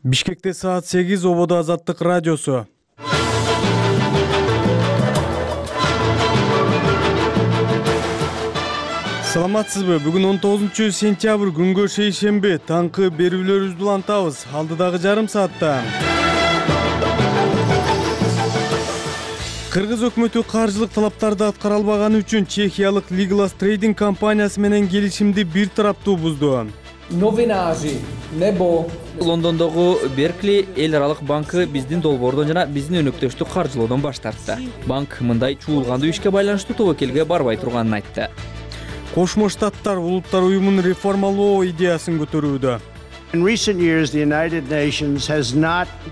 Бишкекте саат 8, Ободо Азаттык радиосу. Саламатсызбы? Бүгүн 19-сентябрь күнгө шейшемби. Таңкы берүүлөрүбүздү улантабыз. Алдыдагы жарым саатта Кыргыз өкмөтү каржылык талаптарды аткара албаганы үчүн чехиялык Legalas Trading компаниясы менен келишимди бир тараптуу бузду. Лондондогу Беркли эл аралык банкы биздин долбоордон жана биздин өнөктөштү каржылоодон баш тартты. Банк мындай чуулгандуу ишке байланыштуу тобокелге барбай турганын айтты. Кошмо Штаттар Улуттар уюмун реформалоо идеясын көтөрүүдө.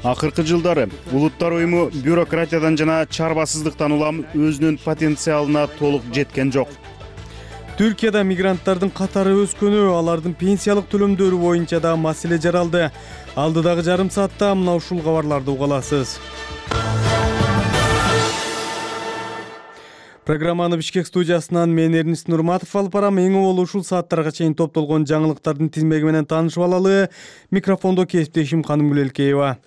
Акыркы жылдары Улуттар уюму бюрократиядан жана чарбасыздыктан улам өзүнүн потенциалына толук жеткен жок. Түркияда мигранттардын катары өскөнү, алардын пенсиялык төлөмдөрү боюнча да маселе жаралды. Алдыдагы жарым саатта мына ушул кабарларды уга аласыз. Программаны Бишкек студиясынан мен Эрнис Нурматов алып барам. Эң болу ушул сааттарга чейин топтолгон жаңылыктардын тизмеги менен таанышып алалы. Микрофондо кесиптешим Канымгүл Элкеева.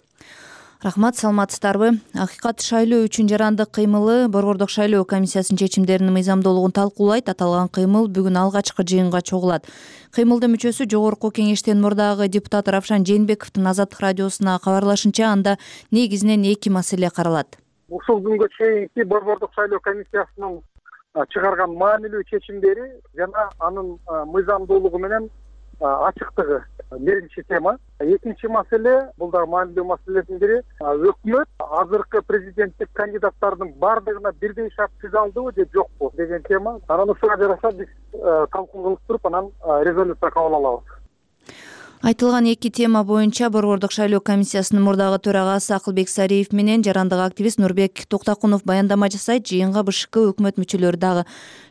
Рахмат, саламатсыздарбы? Акыйкат шайлоо үчүн жарандык кыймылы Борбордук шайлоо комиссиясынын чечимдеринин мыйзамдуулугун талкуулайт. Аталган кыймыл бүгүн алгачкы жыйынга чогулат. Кыймылдын мүчөсү Жогорку кеңештен мурдагы депутат Равшан Жээнбековдун Азаттык радиосуна кабарлашынча, анда негизинен эки маселе каралат. Ушул күнгө чейинки Борбордук шайлоо комиссиясынын чыгарган маанилүү чечимдери жана анын мыйзамдуулугу менен ачыктыгы биринчи тема. Экинчи маселе, бул да маанилүү маселелердин бири, өкмөт азыркы президенттик кандидаттардын бардыгына бирдей шарт түзө алдыбы же жокпу деген тема. Анан ушуга жараша биз талкуу кылып туруп, анан резолюция кабыл алабыз. Айтылган эки тема боюнча Борбордук шайлоо комиссиясынын мурдагы төрагасы Акылбек Сариев менен жарандык активист Нурбек Токтакунов баяндама жасайт. Жыйынга БШК өкмөт мүчөлөрү дагы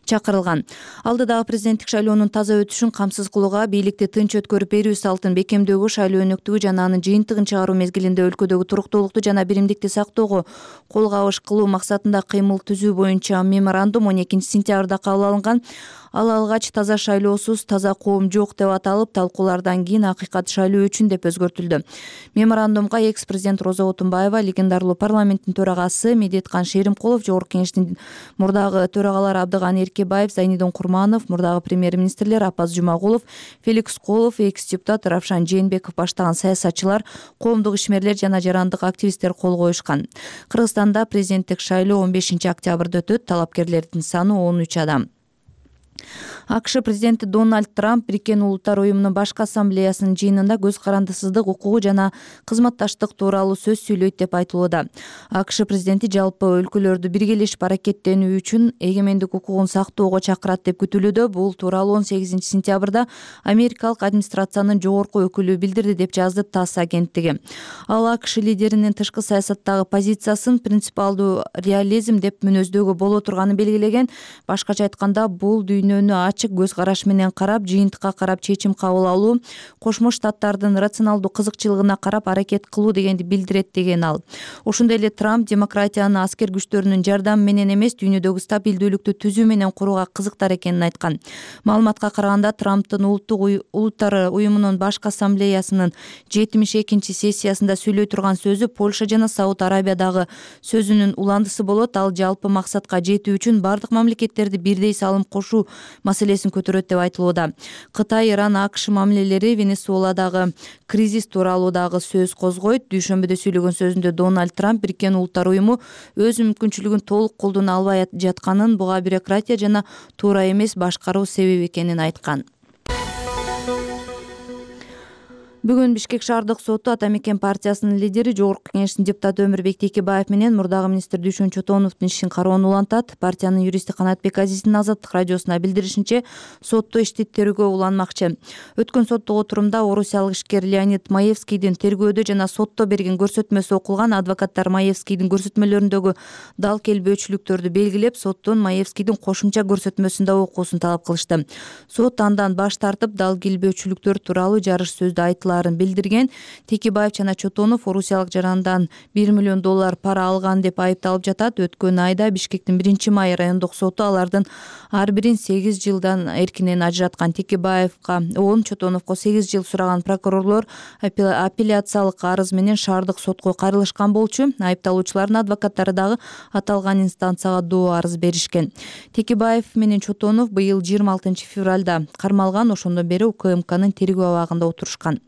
чакырылган. Алдыдагы президенттик шайлоонун таза өтүшүн камсыз кылууга, бийликти тынч өткөрүп берүү салтын бекемдөөгө, шайлоо өнөктүгү жана анын жыйынтыгын чыгаруу мезгилинде өлкөдөгү туруктуулукту жана биримдикти сактоого кол кабыш кылуу максатында кыймыл түзүү боюнча меморандум 12-сентябрда кабыл алынган. Ал алгач таза шайлоосуз таза коом жок деп аталып, талкуулардан кийин акыйкат шайлоо үчүн деп өзгөртүлдү. Меморандумга экс-президент Роза Отунбаева, легендарлуу парламенттин төрагасы Медеткан Шеримкулов, Жогорку кеңештин мурдагы төрагалары Абдыган Эркебаев, Зайнидон Курманов, мурдагы премьер-министрлер Апаз Жумагулов, Феликс Колов, экс-депутат Равшан Жээнбеков баштаган саясатчылар, коомдук ишмерлер жана жарандык активисттер кол коюшкан. Кыргызстанда президенттик шайлоо 15-октябрда өтөт. Талапкерлердин саны 13 адам. АКШ президенти Дональд Трамп Бириккен Улуттар уюмунун башкы ассамблеясынын жыйынында көз карандысыздык укугу жана кызматташтык тууралуу сөз сүйлөйт деп айтылууда. АКШ президенти жалпы өлкөлөрдү биргелешип аракеттенүү үчүн эгемендик укугун сактоого чакырат деп күтүлүүдө. Бул тууралуу 18-сентябрда Америкалык администрациянын жогорку өкүлү билдирди деп жазды ТАСС агенттиги. Ал АКШ лидеринин тышкы саясаттагы позициясын принципиалдуу реализм деп мүнөздөөгө боло турганын белгилеген. Башкача айтканда, бул дүйнөнү ачык көз караш менен карап, жыйынтыкка карап чечим кабыл алуу, Кошмо Штаттардын рационалдуу кызыкчылыгына карап аракет кылуу дегенди билдирет деген ал. Ошондой эле Трамп демократияны аскер күчтөрүнүн жардамы менен эмес, дүйнөдөгү стабилдүүлүктү түзүү менен курууга кызыктар экенин айткан. Маалыматка караганда, Трамптын Улуттар уюмунун башкы ассамблеясынын 72-чи сессиясында сүйлөй турган сөзү Польша жана Сауд Арабиядагы сөзүнүн уландысы болот. Ал жалпы максатка жетүү үчүн бардык мамлекеттерди бирдей салым кошуу маселесин көтөрөт деп айтылууда. Кытай, Иран, АКШ мамилелери, Венесуэладагы кризис тууралуу дагы сөз козгойт. Дүйшөмбүдө сүйлөгөн сөзүндө Дональд Трамп Бириккен Улуттар уюму өз мүмкүнчүлүгүн толук колдоно албай жатканын, буга бюрократия жана туура эмес башкаруу себеп экенин айткан. Бүгүн Бишкек шаардык соту Ата Мекен партиясынын лидери, Жогорку кеңештин депутаты Өмүрбек Текебаев менен мурдагы министр Дүйшөн Чотоновдун ишин кароону улантат. Партиянын юристи Канатбек Азиздин Азаттык радиосуна билдиришинче, сотто ишти тергөө уланмакчы. Өткөн соттук отурумда орусиялык ишкер Леонид Маевскийдин тергөөдө жана сотто берген көрсөтмөсү окулган. Адвокаттар Маевскийдин көрсөтмөлөрүндөгү дал келбөөчүлүктөрдү белгилеп, соттун Маевскийдин кошумча көрсөтмөсүн да окуусун талап кылышты. Сот андан баш тартып, дал келбөөчүлүктөр тууралуу жарыш сөздө айтылат аларын билдирген. Текебаев жана Чотонов орусиялык жарандан $1 миллион пара алган деп айыпталып жатат. Өткөн айда Бишкектин 1-май райондук соту алардын ар бирин 8 жылдан эркинен ажыраткан. Текебаевга 10, Чотоновго 8 жыл сураган прокурорлор апелляциялык арыз менен шаардык сотко кайрылышкан болчу. Айыпталуучулардын адвокаттары дагы аталган инстанцияга доо арыз беришкен. Текебаев менен Чотонов быйыл 26 февралда кармалган. Ошондон бери УКМКнын тергөө абагында отурушкан.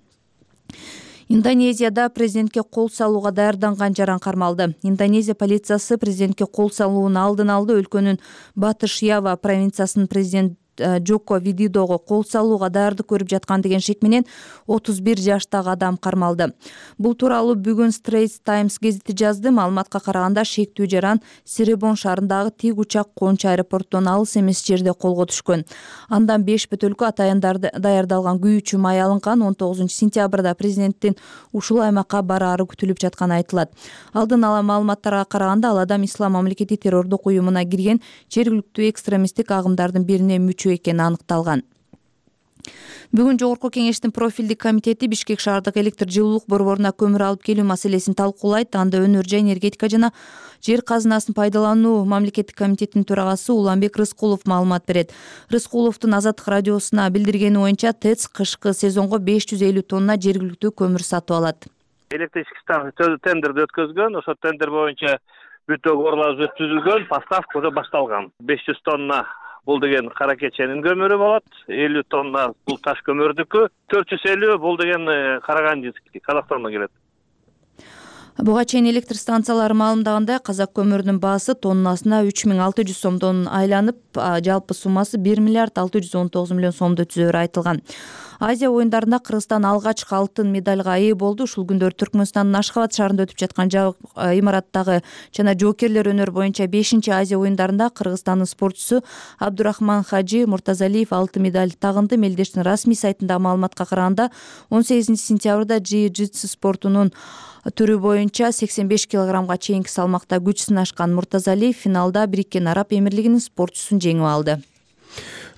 Индонезияда президентке кол салууга даярданган жаран кармалды. Индонезия полициясы президентке кол салуунун алдын алды. Өлкөнүн Батыш Ява провинциясынын президент Джоко Видидого кол салууга даярдык көрүп жаткан деген шек менен 31 жаштагы адам кармалды. Бул тууралуу бүгүн Straits Times гезити жазды. Маалыматка караганда шектүү жаран Сиребон шаарындагы тик учак коончу аэропорттон алыс эмес жерде колго түшкөн. Андан 5 бөтөлкө атайындарды даярдалган күйүүчү май алынган. 19 сентябрда президенттин ушул аймакка бараары күтүлүп жатканы айтылат. Алдын ала маалыматтарга караганда ал адам Ислам мамлекети террордук уюмуна кирген жергиликтүү экстремисттик агымдардын бирине мүчө экени аныкталган. Бүгүн Жогорку кеңештин профилдик комитети Бишкек шаардык электр жылуулук борборуна көмүр алып келүү маселесин талкуулайт. Анда өнөр жай энергетика жана жер казынасын пайдалануу мамлекеттик комитетинин төрагасы Уланбек Рыскулов маалымат берет. Рыскуловдун Азаттык радиосуна билдиргени боюнча ТЭЦ кышкы сезонго 550 тонна жергиликтүү көмүр сатып алат. Электрический станция тендерди өткөзгөн, ошо тендер боюнча бүтө коорлар түзүлгөн, поставка уже башталган. 500 тонна бул деген кара кеченин көмүрү болот, 50 тонна бул таш көмүрдүкү, 450 бул деген Карагандинский, Казакстандан келет. Буга чейин электр станциялары маалымдагандай, Казак көмүрүнүн баасы тоннасына 3600 сомдон айланып, жалпы суммасы 1 миллиард 619 миллион сомду түзөөрү айтылган. Азия оюндарында Кыргызстан алгачкы алтын медальга ээ болду. Ушул күндөр Түркмөнстандын Ашхабад шаарында өтүп жаткан имараттагы жана жоокерлер өнөр боюнча 5-Азия оюндарында Кыргызстандын спортчусу Абдурахман Хажи Муртазалиев алтын медаль тагынды. Мелдештин расмий сайтындагы маалыматка караганда 18 сентябрда джиу-джитсу спортунун түрү боюнча 85 килограммга чейинки салмакта күч сынашкан Муртазалиев финалда Бириккен Араб Эмирлигинин спортчусун жеңип алды.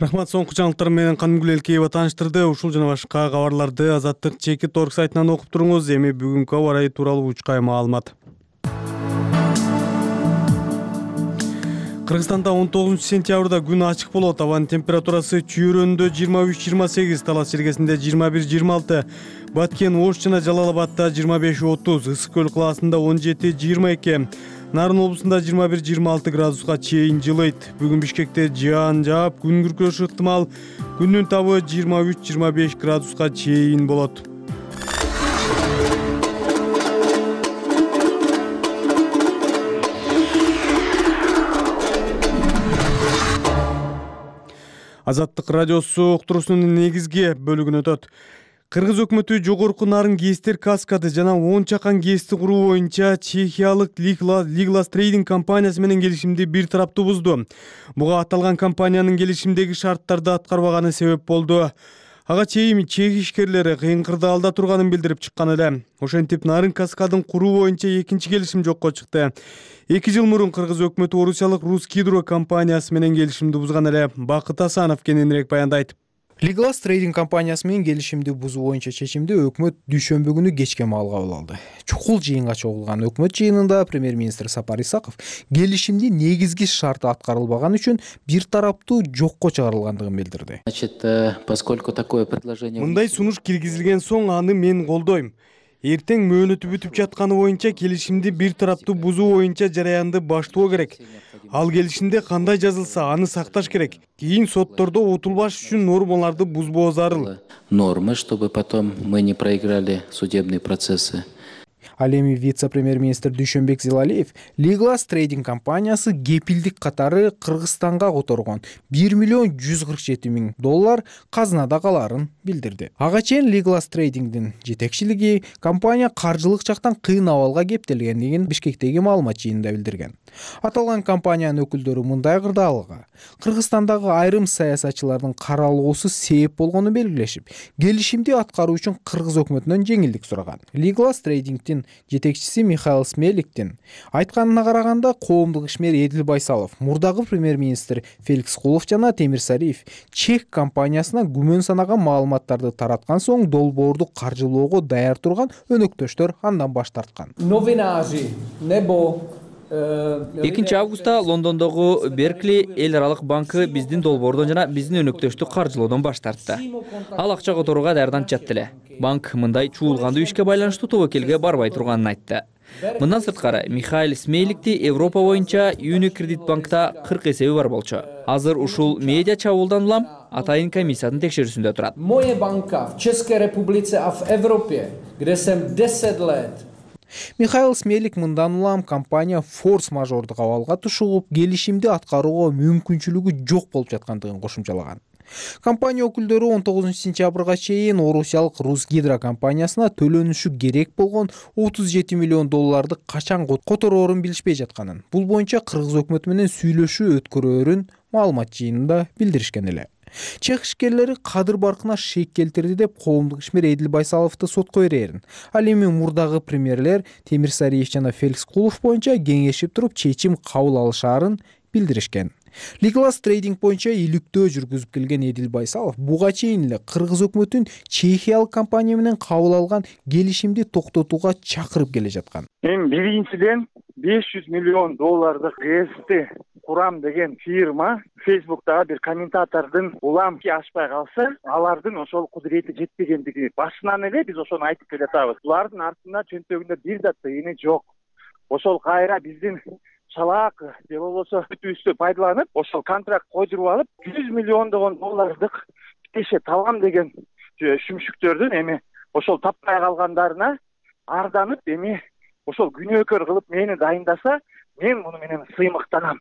Рахмат, соңку жаңылыктар менен Канымгүл Элкеева тааныштырды. Ушул жана башка кабарларды Азаттык Чекит.org сайтынан окуп туруңуз. Эми бүгүнкү аба ырайы тууралуу учкай маалымат. Кыргызстанда 19 сентябрда күн ачык болот. Абанын температурасы Чүйрөндө 23-28, Талас Чергесинде 21-26, Баткен, Ош жана Жалал-Абадта 25-30, Ысык көл калаасында 17-22, Нарын облусунда 21-26 градуска чейин жылыйт. Бүгүн Бишкекте жаан жаап, күн күркүрөшү ыктымал. Күндүн табы 23-25 градуска чейин болот. Азаттык радиосу уктуруусунун негизги бөлүгүнө өтөт. Кыргыз өкмөтү жогорку нарын ГЭСтер каскады жана 10 чакан ГЭСти куруу боюнча чехиялык Liglas Trading компаниясы менен келишимди бир тараптуу бузду. Буга аталган компаниянын келишимдеги шарттарды аткарбаганы себеп болду. Ага чейин чех ишкерлери кыйын кырдаалда турганын билдирип чыккан эле. Ошентип нарын каскадын куруу боюнча экинчи келишим жокко чыкты. 2 жыл мурун Кыргыз өкмөтү орусиялык Русгидро компаниясы менен келишимди бузган эле. Бакыт Асанов кененирээк баяндайт. Liglas Trading компаниясы менен келишимди бузуу боюнча чечимди өкмөт дүйшөмбү күнү кечке маал кабыл алды. Чукул жыйынга чогулган өкмөт жыйынында премьер-министр Сапар Исаков келишимди негизги шарты аткарылбаган үчүн бир тараптуу жокко чыгарылгандыгын билдирди. Мындай сунуш киргизилген соң аны мен колдойм. Эртең мөөнөтү бүтүп жатканы боюнча келишимди бир тараптуу бузуу боюнча жараянды баштоо керек. Ал келишимде кандай жазылса, аны сакташ керек. Кийин соттордо утулбаш үчүн нормаларды бузбоо зарыл. Нормы, чтобы потом мы не проиграли судебные процессы. Ал эми вице-премьер-министр Дүйшөнбек Зилалиев Liglas Trading компаниясы кепилдик катары Кыргызстанга которгон $1 миллион 147 миң казынада калаарын билдирди. Ага чейин Liglas Trading'дин жетекчилиги компания каржылык жактан кыйын абалга кептелгендигин Бишкектеги маалымат жыйынында билдирген. Аталган компаниянын өкүлдөрү мындай кырдаалга Кыргызстандагы айрым саясатчылардын каралоосу себеп болгонун белгилешип, келишимди аткаруу үчүн Кыргыз өкмөтүнөн жеңилдик сураган. Liglas Trading'дин компаниянын жетекчиси Михаил Смеликтин айтканына караганда, коомдук ишмер Эдил Байсалов, мурдагы премьер-министр Феликс Кулов жана Темирсариев чек компаниясына күмөн санаган маалыматтарды тараткан соң долбоорду каржылоого даяр турган өнөктөштөр андан баш тарткан. 2 августта Лондондогу Беркли эл аралык банкы биздин долбоордон жана биздин өнөктөштү каржылоодон баш тартты. Ал акча которууга даярданып жатты эле. Банк мындай чуулгандуу ишке байланыштуу тобокелге барбай турганын айтты. Мындан сырткары Михаил Смейликти Европа боюнча Unicredit банкта 40 эсеби бар болчу. Азыр ушул медиа чабуулдан улам атайын комиссиянын текшерүүсүндө турат. Моя банка в Чешской Республике, а в Европе, где съм 10 лет. Михаил Смелик мындан улам компания форс-мажордук абалга тушугуп, келишимди аткарууга мүмкүнчүлүгү жок болуп жаткандыгын кошумчалаган. Компания өкүлдөрү 19-сентябрга чейин орусиялык Русгидро компаниясына төлөнүшү керек болгон 37 миллион долларды качан котороорун билишпей жатканын, бул боюнча кыргыз өкмөтү менен сүйлөшүү өткөрөөрүн маалымат жыйынында билдиришкен эле. Чех ишкерлери кадыр баркына шек келтирди деп коомдук ишмер Эдил Байсаловду сотко берерин. Ал эми мурдагы премьерлер Темирсариев жана Феликс Кулов боюнча кеңешип туруп чечим кабыл алышаарын билдиришкен. Legalas Trading боюнча иликтөө жүргүзүп келген Эдил Байсалов буга чейин эле кыргыз өкмөтүн чехиялык компания менен кабыл алган келишимди токтотууга чакырып келе жаткан. Мен биринчиден 500 миллион доллардык ГСти курам деген фирма Facebook'та бир комментатордун улам ашпай калса, алардын ошол кудурети жетпегендиги башынан эле биз ошону айтып келатабыз. Булардын артында чөнтөгүндө бир да тыйыны жок. Ошол кайра биздин чалаак же болбосо бүтүүбүздү пайдаланып, ошол контракт койдуруп алып, 100 миллиондогон доллардык теше табам деген шүмшүктөрдүн эми ошол таппай калгандарына арданып, эми ошол күнөөкөр кылып мени дайындаса, мен муну менен сыймыктанам.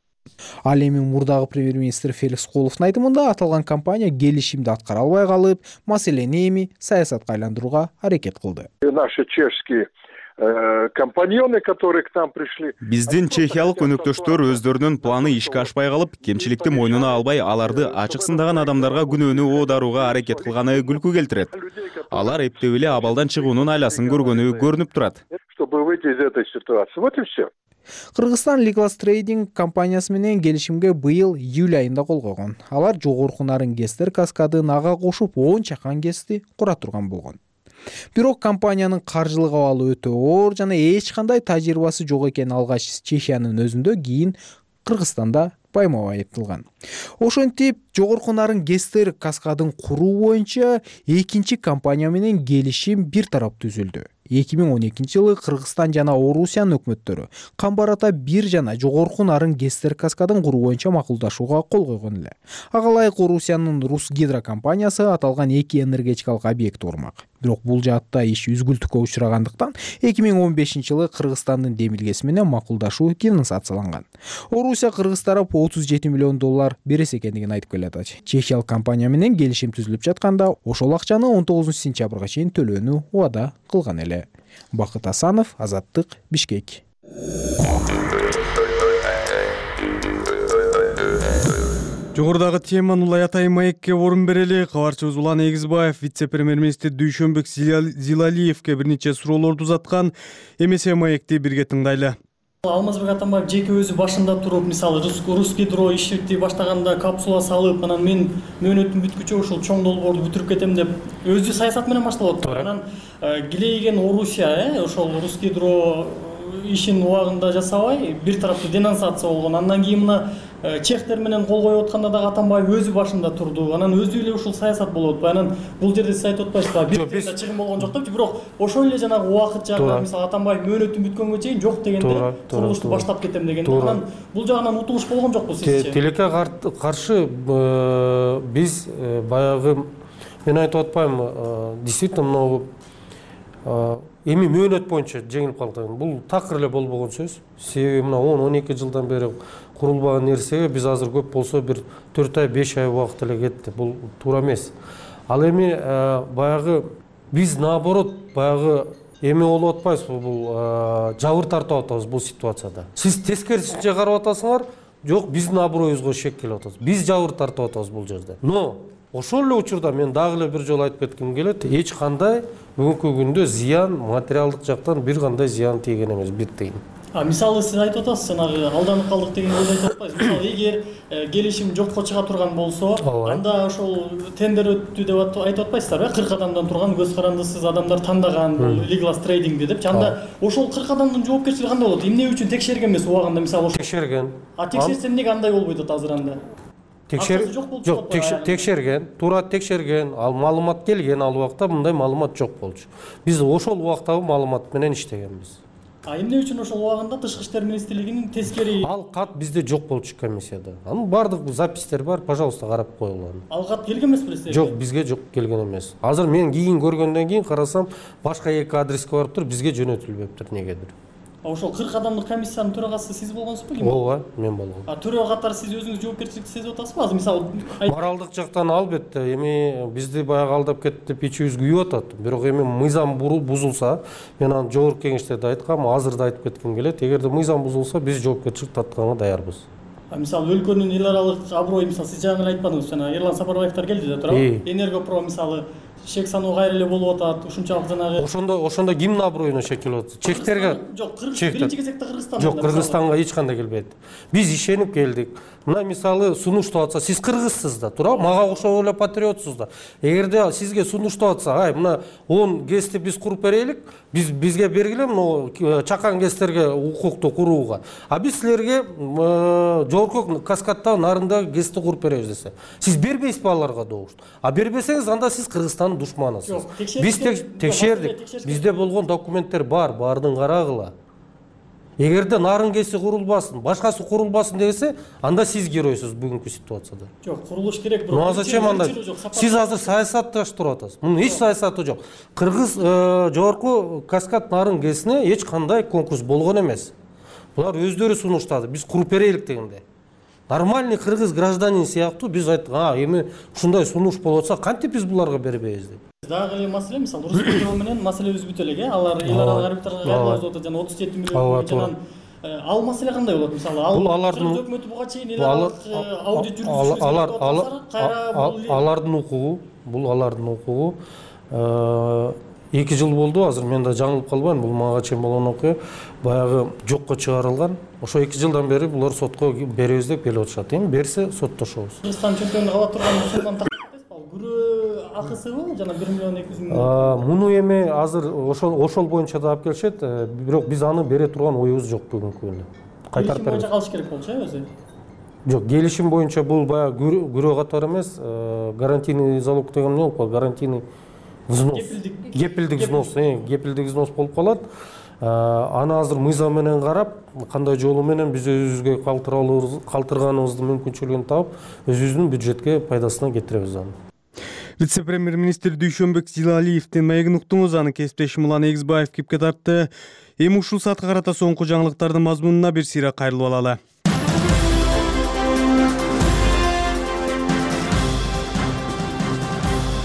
Ал эми мурдагы премьер-министр Феликс Куловдун айтымында аталган компания келишимди аткара албай калып, маселени эми саясатка айландырууга аракет кылды. Наши чешские компаньоны, которые к нам пришли. Биздин чехиялык өнөктөштөр өздөрүнүн планы ишке ашпай калып, кемчиликти мойнуна албай, аларды ачык сындаган адамдарга күнөөнү оодарууга аракет кылганы күлкү келтирет. Алар эптеп эле абалдан чыгуунун айласын көргөнү көрүнүп турат. Чтобы выйти из этой ситуации. Вот и все. Кыргызстан Legalas Trading компаниясы менен келишимге быйыл июль айында кол койгон. Алар жогорку нарын ГЭСтер каскадын ага кошуп 10 чакан ГЭСти кура турган болгон. Бирок компаниянын каржылык абалы өтө оор жана эч кандай тажрыйбасы жок экени алгач Чехиянын өзүндө, кийин Кыргызстанда байма-бай айтылган. Ошентип, жогорку нарын ГЭСтер каскадын куруу боюнча экинчи компания менен келишим бир тарап түзүлдү. 2012-жылы Кыргызстан жана Орусиянын өкмөттөрү Камбарата 1 жана жогорку нарын ГЭСтер каскадын куруу боюнча макулдашууга кол койгон эле. Ага ылайык Орусиянын Русгидро компаниясы аталган 2 энергетикалык объектти курмак. Бирок бул жаатта иш үзгүлтүккө учурагандыктан 2015-жылы Кыргызстандын демилгеси менен макулдашуу денонсацияланган. Орусия Кыргыз тарап 37 миллион доллар берес экендигин айтып келатат. Чехиялык компания менен келишим түзүлүп жатканда, ошол акчаны 19-сентябрга чейин төлөөнү убада кылган эле. Бакыт Асанов, Азаттык, Бишкек. Жогорудагы теманы улай атайын маекке орун берели. Кабарчыбыз Улан Эгизбаев вице-премьер-министр Дүйшөнбек Зилалиевке бир нече суроолорду узаткан. Эмесе маекти бирге тыңдайлы. Алмазбек Атамбаев жеке өзү башында туруп, мисалы Русгидро ишти баштаганда капсула салып, анан мен мөөнөтүм бүткүчө ушул чоң долбоорду бүтүрүп кетем деп өзү саясат менен башталып атты. Анан килейген Орусия, ошол Русгидро ишин убагында жасабай, бир тараптуу денонсация болгон. Андан кийин мына чехтер менен кол коюп атканда да Атамбаев өзү башында турду. Анан өзү эле ушул саясат болуп атпайбы? Анан бул жерде сиз айтып атпайсызбы? Бир чыгым болгон жок деп, бирок ошол эле жанагы убакыт жагынан, мисалы Атамбаев мөөнөтүм бүткөнгө чейин жок дегенде курулушту баштап кетем дегенде, анан бул жагынан утулуш болгон жокпу сизче? Тилекке каршы биз баягы мен айтып атпаймынбы, действительно могу эми мөөнөт боюнча жеңилип калды. Бул такыр эле болбогон сөз. Себеби мына 10-12 жылдан бери курулбаган нерсеге биз азыр көп болсо бир 4 ай 5 ай убакыт эле кетти. Бул туура эмес. Ал эми баягы биз наоборот баягы эми болуп атпайбызбы, бул жабыр тартып атабыз бул ситуацияда. Сиз тескерисинче карап атасыңар, жок биздин аброюбузга шек келип атат. Биз жабыр тартып атабыз бул жерде. Но ошол эле учурда мен дагы эле бир жолу айтып кетким келет, эч кандай бүгүнкү күндө зыян, материалдык жактан бир кандай зыян тийген эмес, бир тыйын. Мисалы сиз айтып атасыз, жанагы алданып калдык деген ойду айтып атпайсызбы? Мисалы эгер келишим жокко чыга турган болсо, анда ошол тендер өттү деп айтып атпайсыздарбы? 40 адамдан турган көз карандысыз адамдар тандаган бул Legal Trading депчи. Анда ошол 40 адамдын жоопкерчилиги кандай болот? Эмне үчүн текшерген эмес убагында, мисалы ошол? Текшерген. Текшерсе эмнеге андай болбойт атат азыр анда? Жок, текшерген, туура текшерген, ал маалымат келген, ал убакта мындай маалымат жок болчу. Биз ошол убактагы маалымат менен иштегенбиз. Эмне үчүн ошол убагында Тышкы иштер министрлигинин тескери ал кат бизде жок болчу комиссияда. Анын бардык запистер бар, пожалуйста, карап койгула. Ал кат келген эмес белесиз? Жок, бизге жок келген эмес. Азыр мен кийин көргөндөн кийин карасам, башка эки адреске барып туруп, бизге жөнөтүлбөптүр негедир. Ошол 40 адамдык комиссиянын төрагасы сиз болгонсузбу? Ооба, мен болгом. Төрага катары сиз өзүңүз жоопкерчиликти сезип атасызбы? Азыр мисалы моралдык жактан албетте, эми бизди баягы алдап кетти деп ичибиз күйүп атат. Бирок эми мыйзам бузулса, мен аны жогорку кеңеште да айткам, азыр да айтып кетким келет. Эгерде мыйзам бузулса, биз жоопкерчилик тартканга даярбыз. Мисалы өлкөнүн эл аралык аброю, мисалы сиз жаңы эле айтпадыңызбы, жана Эрлан Сапарбаевдер келди да туурабы? Энергопро мисалы чек саноо кайра эле болуп атат, ушунчалык жанагы. Ошондо кимдин аброюна чек келип атат? Чектерге. Жок, биринчи кезекте Кыргызстан. Жок, Кыргызстанга эч кандай келбейт. Биз ишенип келдик. Мына мисалы сунуштап атса, сиз кыргызсыз да, туурабы? Мага окшоп эле патриотсуз да. Эгерде сизге сунуштап атса, ай, мына 10 ГЭСти биз куруп берелик, бизге бергиле мына чакан ГЭСтерге укукту курууга. А биз силерге жогорку каскаддагы нарындагы ГЭСти куруп беребиз десе. Сиз бербейсизби аларга добуш? А бербесеңиз, анда сиз Кыргызстандын душманысыз. Биз текшердик. Бизде болгон документтер бар, баардыгын карагыла. Эгерде нарын ГЭСи курулбасын, башкасы курулбасын десе, анда сиз геройсуз бүгүнкү ситуацияда. Жок, курулуш керек, бирок. Ну, зачем анда? Сиз азыр саясатташтырып атасыз. Мунун эч саясаты жок. Кыргыз жогорку каскад нарын ГЭСине эч кандай конкурс болгон эмес. Булар өздөрү сунуштады. Биз куруп берелик дегенде. Нормальный кыргыз гражданин сыяктуу биз айттык, эми ушундай сунуш болуп атса, кантип биз буларга бербейбиз деп. Дагы эле маселе, мисалы Роспетрол менен маселебиз бүтө элек, алар эл аралык арбитрага кайрылып атат, жана 37 миллион жанан ал маселе кандай болот? Мисалы, Кыргыз өкмөтү буга чейин эл аралык аудит жүргүзүп алардын укугу, бул алардын укугу. 2 жыл болду, азыр мен да жаңылып калбайм, бул мага чейин болгон окуя баягы жокко чыгарылган. Ошо 2 жылдан бери булар сотко беребиз деп келип атышат. Эми берсе соттошобуз. Кыргызстан чемпиону кала турган сотон тартпайсызбы? Күрөө акысыбы жана 1 миллион 200 миң. Муну эми азыр ошол боюнча да алып келишет, бирок биз аны бере турган оюбуз жок бүгүнкү күндө. Кайтарып беребиз. Калыш керек болчу өзү. Жок, келишим боюнча бул баягы күрөө катары эмес, гарантийный залог деген эмне болуп, гарантийный взнос. Кепилдик взнос болуп калат. Аны азыр мыйзам менен карап, кандай жолу менен биз өзүбүзгө калтырганыбыздын мүмкүнчүлүгүн таап, өзүбүздүн бюджетке пайдасына кетиребиз аны. Вице-премьер-министр Дүйшөнбек Зилалиевдин маегин уктуңуз, анын кесиптеши Мулан Эгизбаев кепке тартты. Эми ушул саатка карата соңку жаңылыктардын мазмунуна бир сыйра кайрылып алалы.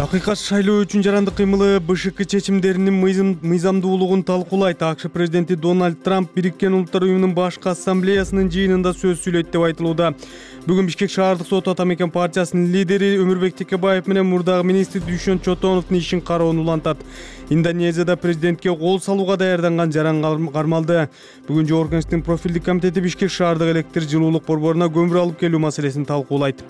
Акыйкат шайлоо үчүн жарандык кыймылы БШК чечимдеринин мыйзамдуулугун талкуулайт. АКШ президенти Дональд Трамп Бириккен Улуттар уюмунун башкы ассамблеясынын жыйынында сөз сүйлөйт деп айтылууда. Бүгүн Бишкек шаардык соту Атамекен партиясынын лидери Өмүрбек Текебаев менен мурдагы министр Дүйшөн Чотоновдун ишин кароону улантат. Индонезияда президентке кол салууга даярданган жаран кармалды. Бүгүн Жогорку Кеңештин профилдик комитети Бишкек шаардык электр жылуулук борборуна көмүр алып келүү маселесин талкуулайт.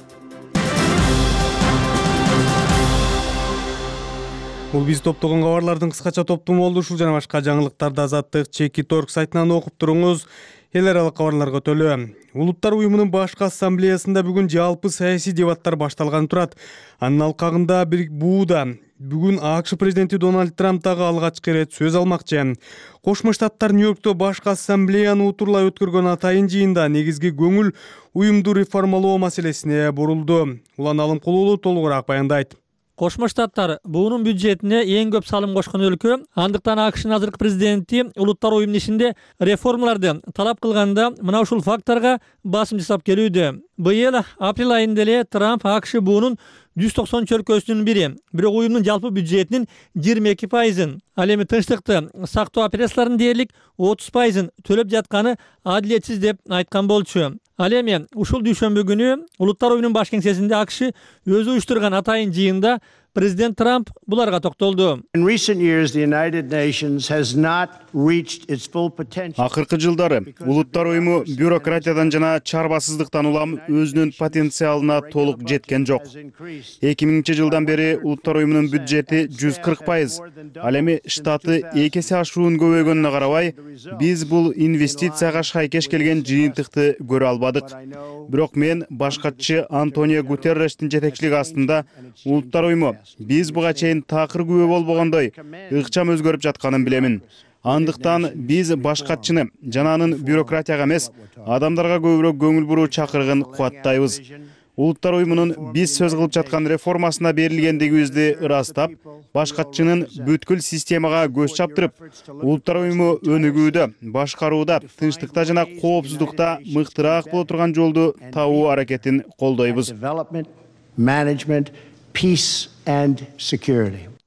Бул биз топтогон кабарлардын кыскача топтому болду. Ушул жана башка жаңылыктарды Азаттык Чеки.орг сайтынан окуп туруңуз. Эл аралык кабарларга өтөлү. Улуттар уюмунун башкы ассамблеясында бүгүн жалпы саясий дебаттар башталганы турат. Анын алкагында бууда бүгүн АКШ президенти Дональд Трамп дагы алгачкы ирет сөз алмакчы. Кошмо Штаттар Нью-Йоркто башкы ассамблеяны утурлай өткөргөн атайын жыйында негизги көңүл уюмду реформалоо маселесине бурулду. Улан Алымкулуулу толугураак баяндайт. Кошмо Штаттар буунун бюджетине эң көп салым кошкон өлкө, андыктан АКШнын азыркы президенти Улуттар уюмунун ишинде реформаларды талап кылганда мына ушул факторго басым жасап келүүдө. Быйыл апрель айында эле Трамп АКШ буунун 190 өлкөсүнүн бири, бирок уюмдун жалпы бюджетинин 22%, ал эми тынчтыкты сактоо операцияларынын дээрлик 30%ын төлөп жатканы адилетсиз деп айткан болчу. Ал эми ушул дүйшөмбү күнү Улуттар уюмунун баш кеңсесинде АКШ өзү уюштурган атайын жыйында президент Трамп буларга токтолду. Акыркы жылдары Улуттар уюму бюрократиядан жана чарбасыздыктан улам өзүнүн потенциалына толук жеткен жок. 2000 жылдан бери Улуттар уюмунун бюджети 140%, ал эми штаты 2 эсе ашуун көбөйгөнүнө карабай, биз бул инвестицияга шайкеш келген жыйынтыкты көрө албадык. Бирок мен баш катчы Антонио Гутеррештин жетекчилиги астында Улуттар уюму биз буга чейин такыр күбө болбогондой ыкчам өзгөрүп жатканын билемин. Андыктан биз баш катчыны жана анын бюрократияга эмес, адамдарга көбүрөөк көңүл буруу чакырыгын кубаттайбыз. Улуттар уюмунун биз сөз кылып жаткан реформасына берилгендигибизди ырастап, баш катчынын бүткүл системага көз чаптырып, Улуттар уюму өнүгүүдө, башкарууда, тынчтыкта жана коопсуздукта мыктыраак боло турган жолду табуу аракетин колдойбуз.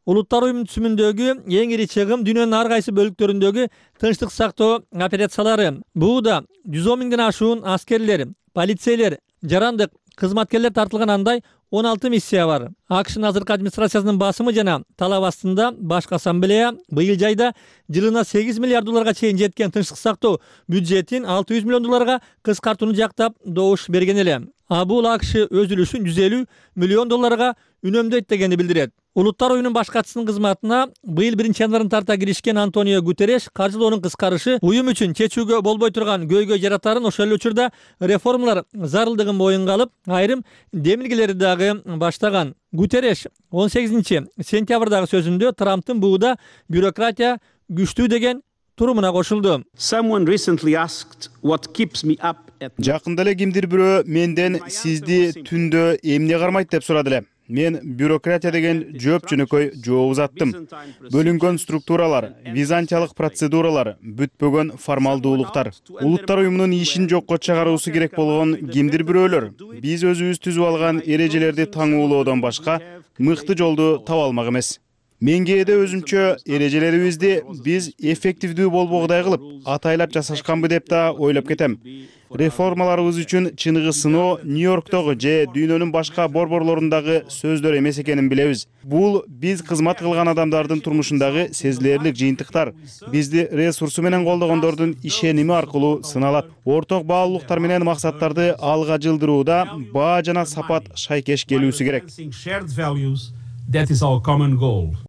Улуттар уюмунун түзүмүндөгү эң ири чыгым дүйнөнүн ар кайсы бөлүктөрүндөгү тынчтык сактоо операциялары. Бууда 110 миңден ашуун аскерлер, полицейлер, жарандык кызматкерлер тартылган андай 16 миссия бар. АКШнын азыркы администрациясынын басымы жана талап астында башкы ассамблея быйыл жайда жылына 8 миллиард долларга чейин жеткен тынчтык сактоо бюджетин 600 миллион долларга кыскартууну жактап добуш берген эле. А бул АКШ өз үлүшүн 150 миллион долларга үнөмдөйт дегенди билдирет. Улуттар уюмунун баш катчысынын кызматына быйыл 1-январдан тарта киришкен Антонио Гутерреш каржылоонун кыскарышы уюм үчүн чечүүгө болбой турган көйгөй жаратарын, ошол эле учурда реформалар зарылдыгын моюнга алып, айрым демилгелерди дагы баштаган. Гутерреш 18-сентябрдагы сөзүндө Трамптын бууда бюрократия күчтүү деген турумуна кошулду. Жакында эле кимдир бирөө менден сизди түндө эмне кармайт деп сурады эле. Мен бюрократия деген жөнөкөй жооп узаттым. Бөлүнгөн структуралар, византиялык процедуралар, бүтпөгөн формалдуулуктар. Улуттар уюмунун ишин жокко чыгаруусу керек болгон кимдир бирөөлөр биз өзүбүз түзүп алган эрежелерди таңуулоодон башка мыкты жолду таба алмак эмес. Мен кээде өзүмчө эрежелерибизди биз эффективдүү болбогудай кылып, атайлап жасашканбы деп да ойлоп кетем. Реформаларыбыз үчүн чыныгы сыноо Нью-Йорктогу же дүйнөнүн башка борборлорундагы сөздөр эмес экенин билебиз. Бул биз кызмат кылган адамдардын турмушундагы сезилерлик жыйынтыктар. Бизди ресурсу менен колдогондордун ишеними аркылуу сыналат. Орток баалуулуктар менен максаттарды алга жылдырууда баа жана сапат шайкеш келүүсү керек.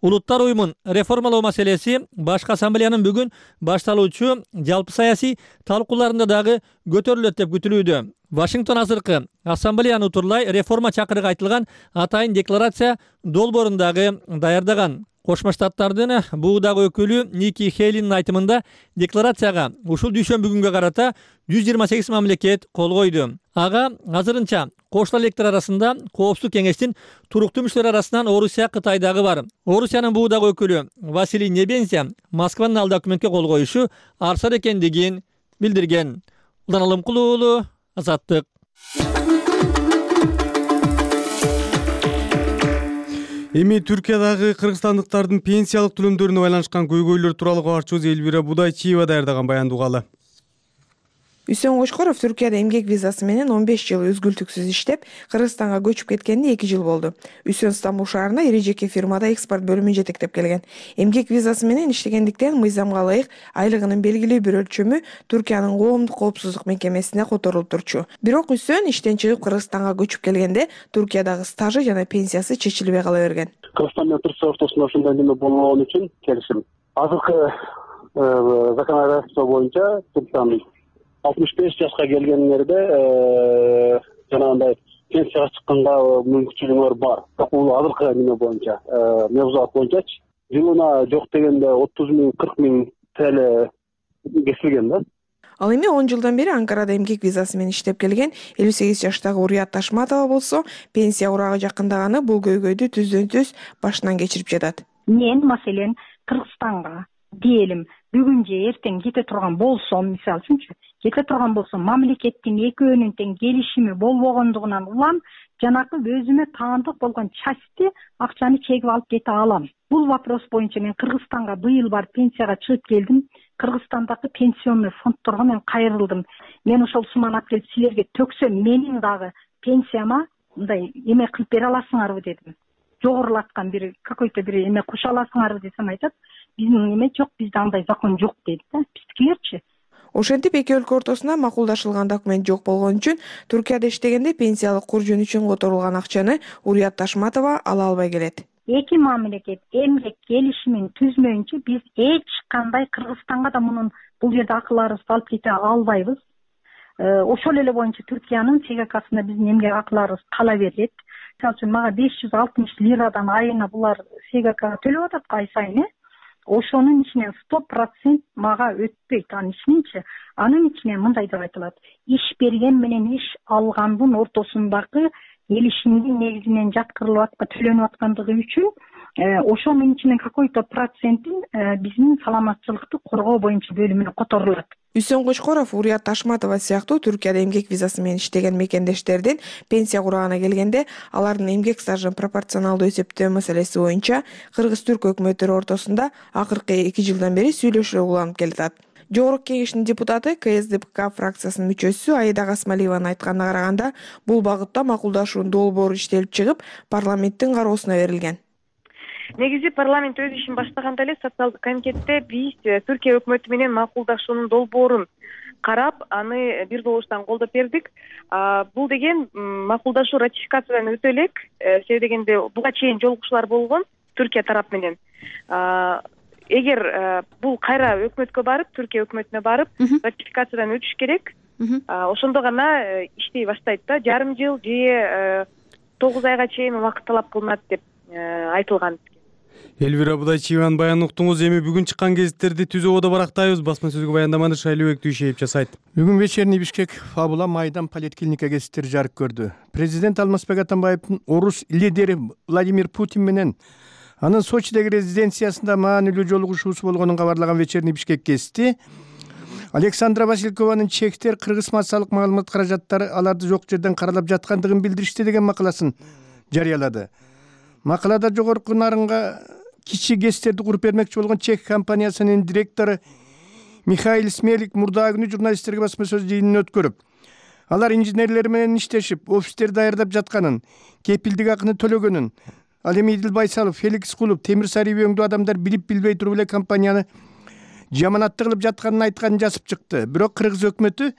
Улуттар уюмун реформалоо маселеси башкы ассамблеянын бүгүн башталуучу жалпы саясий талкууларында дагы көтөрүлөт деп күтүлүүдө. Вашингтон азыркы ассамблеяны утурлай реформа чакырыгы айтылган атайын декларация долбоорун дагы даярдаган. Кошмо Штаттардын буудагы өкүлү Ники Хейлинин айтымында декларацияга ушул дүйшөмбү күнгө карата 128 мамлекет кол койду. Ага азырынча кошулар электер арасында Коопсуздук кеңештин туруктуу мүчөлөрү арасынан Орусия, Кытай дагы бар. Орусиянын буудагы өкүлү Василий Небензя Москванын ал документке кол коюшу арсар экендигин билдирген. Улан Алымкулуу уулу, Азаттык. Эми Түркиядагы кыргызстандыктардын пенсиялык төлөмдөрүнө байланышкан көйгөйлөр тууралуу кабарчыбыз Элвира Будайчиева даярдаган баянды угалы. Үсөн Кошкоров Түркияда эмгек визасы менен 15 жыл үзгүлтүксүз иштеп, Кыргызстанга көчүп кеткенине 2 жыл болду. Үсөн Стамбул шаарына ири жеке фирмада экспорт бөлүмүн жетектеп келген. Эмгек визасы менен иштегендиктен мыйзамга ылайык айлыгынын белгилүү бир өлчөмү Түркиянын коомдук коопсуздук мекемесине которулуп турчу. Бирок Үсөн иштен чыгып Кыргызстанга көчүп келгенде Түркиядагы стажы жана пенсиясы чечилбей кала берген. Кыргызстан менен Түркия ортосунда ушундай неме болгон үчүн келишим. Азыркы законодательство боюнча Түркиянын 65 жашка келгендерде жанагындай пенсияга чыкканга мүмкүнчүлүгүңөр бар. Бирок бул азыркы неме боюнча, мевзуат боюнчачы жылына жок дегенде 30 миң, 40 миң TL кесилген да. Ал эми 10 жылдан бери Анкарада эмгек визасы менен иштеп келген 58 жаштагы Урият Ташматова болсо, пенсия урагы жакындаганы бул көйгөйдү түздөн-түз башынан кечирип жатат. Мен маселен Кыргызстанга диелим бүгүн же эртең кете турган болсом, мисалы үчүнчү кете турган болсом, мамлекеттин экөөнүн тең келишими болбогондугунан улам жанакы өзүмө таандык болгон части акчаны чегип алып кете алам. Бул вопрос боюнча мен Кыргызстанга быйыл барып пенсияга чыгып келдим. Кыргызстандагы пенсионный фондторго мен кайрылдым. Мен ошол сумманы алып келип силерге төксөм, менин дагы пенсияма мындай эме кылып бере аласыңарбы дедим. Жогорулаткан бир какой-то бир эме кошо аласыңарбы десем, айтат, биздин эме жок, бизде андай закон жок дейт да. Биздикилерчи? Ошентип эки өлкө ортосунда макулдашылган документ жок болгон үчүн Түркияда иштегенде пенсиялык куржун үчүн которулган акчаны Урият Ташматова ала албай келет. Эки мамлекет эмгек келишимин түзмөйүнчө биз эч кандай Кыргызстанга да бул жерде акыларыбызды алып кете албайбыз. Ошол эле боюнча Түркиянын СГКсында биздин эмгек акыларыбыз кала берет. Мисалы үчүн мага 560 лирадан айына булар СГКга төлөп атат ай сайын. Ошонун ичинен 100% мага өтпөйт. Анын ичинен мындай деп айтылат. Иш берген менен иш алгандын ортосундагы келишимдин негизинен жаткырылып төлөнүп аткандыгы үчүн ошонун ичинен какой-то процентин биздин саламатчылыкты коргоо боюнча бөлүмүнө которулат. Үсөн Кочкоров Урият Ташматова сыяктуу Түркияда эмгек визасы менен иштеген мекендештердин пенсия курагына келгенде алардын эмгек стажын пропорционалдуу эсептөө маселеси боюнча кыргыз-түрк өкмөттөрү ортосунда акыркы 2 жылдан бери сүйлөшүү уланып келатат. Жогорку кеңештин депутаты КСДПК фракциясынын мүчөсү Аида Касмалиеванын айтканына караганда, бул багытта макулдашуунун долбоору иштелип чыгып, парламенттин кароосуна берилген. Негизи парламент өз ишин баштаганда эле социалдык комитетте биз Түркия өкмөтү менен макулдашуунун долбоорун карап, аны бир добуштан колдоп бердик. Бул деген макулдашуу ратификациядан өтө элек, себеби дегенде буга чейин жолугушуулар болгон Түркия тарап менен. Эгер бул кайра өкмөткө барып, Түркия өкмөтүнө барып, ратификациядан өтүш керек. Ошондо гана иштей баштайт да. Жарым жыл же 9 айга чейин убакыт талап кылынат деп айтылган. Элвира Будайчиеванын баянын уктуңуз. Эми бүгүн чыккан гезиттерди түзүү оодо барактайбыз. Басма сөзгө баяндаманы Шайлообек Дүйшеев жасайт. Бүгүн вечерний Бишкек, Фабула, Майдан, Политклиника гезиттери жарык көрдү. Президент Алмазбек Атамбаевдин орус лидери Владимир Путин менен анын Сочидеги резиденциясында маанилүү жолугушуусу болгонун кабарлаган вечерний Бишкек гезити Александра Василькованын чектер кыргыз массалык маалымат каражаттары аларды жок жерден каралап жаткандыгын билдиришти деген макаласын жарыялады. Макалада жогорку нарынга кичи гезиттерди куруп бермекчи болгон чек компаниясынын директору Михаил Смелик мурдагы күнү журналисттерге басма сөз жыйынын өткөрүп, алар инженерлер менен иштешип, офистер даярдап жатканын, кепилдик акыны төлөгөнүн, ал эми Идил Байсалов, Феликс Кулуп, Темир Сарыев өңдүү адамдар билип-билбей туруп эле компанияны жаманатты кылып жатканын айтканын жазып чыкты. Бирок кыргыз өкмөтү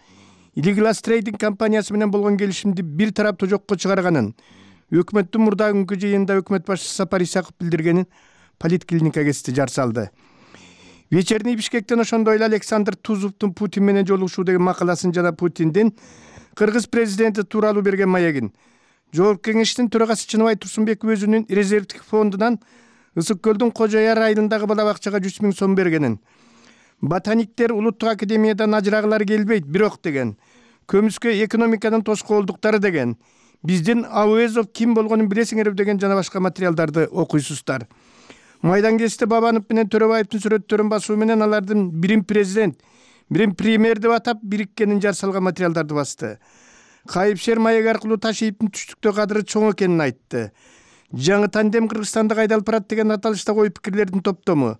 Liglas Trading компаниясы менен болгон келишимди бир тараптуу жокко чыгарганын, өкмөттүн мурдагы күnkү жыйынында өкмөт башчысы Сапар Исаков билдиргенин Политклиника гезити жар салды. Вечерний Бишкектен ошондой эле Александр Тузовдун Путин менен жолугушуу деген макаласын жана Путиндин кыргыз президенти тууралуу берген маегин. Жогорку кеңештин төрагасы Чыныбай Турсунбеков өзүнүн резервдик фондунан Ысык көлдүн Кожо Яр айылындагы бала бакчага 100 000 сом бергенин. Ботаниктер улуттук академиядан ажырагылары келбейт, бирок деген. Көмүскө экономиканын тоскоолдуктары деген. Биздин Ауэзов ким болгонун билесиңер деген жана башка материалдарды окуйсуздар. Майдан гезити Бабанов менен Төрөбаевдин сүрөттөрүн басуу менен алардын бирин президент, бирин премьер деп атап бириккенин жар салган материалдарды басты. Кайыпшер маек аркылуу Ташиевдин түштүктө кадыры чоң экенин айтты. Жаңы тандем Кыргызстанда кайдалып барат деген аталыштагы ой пикирлердин топтому.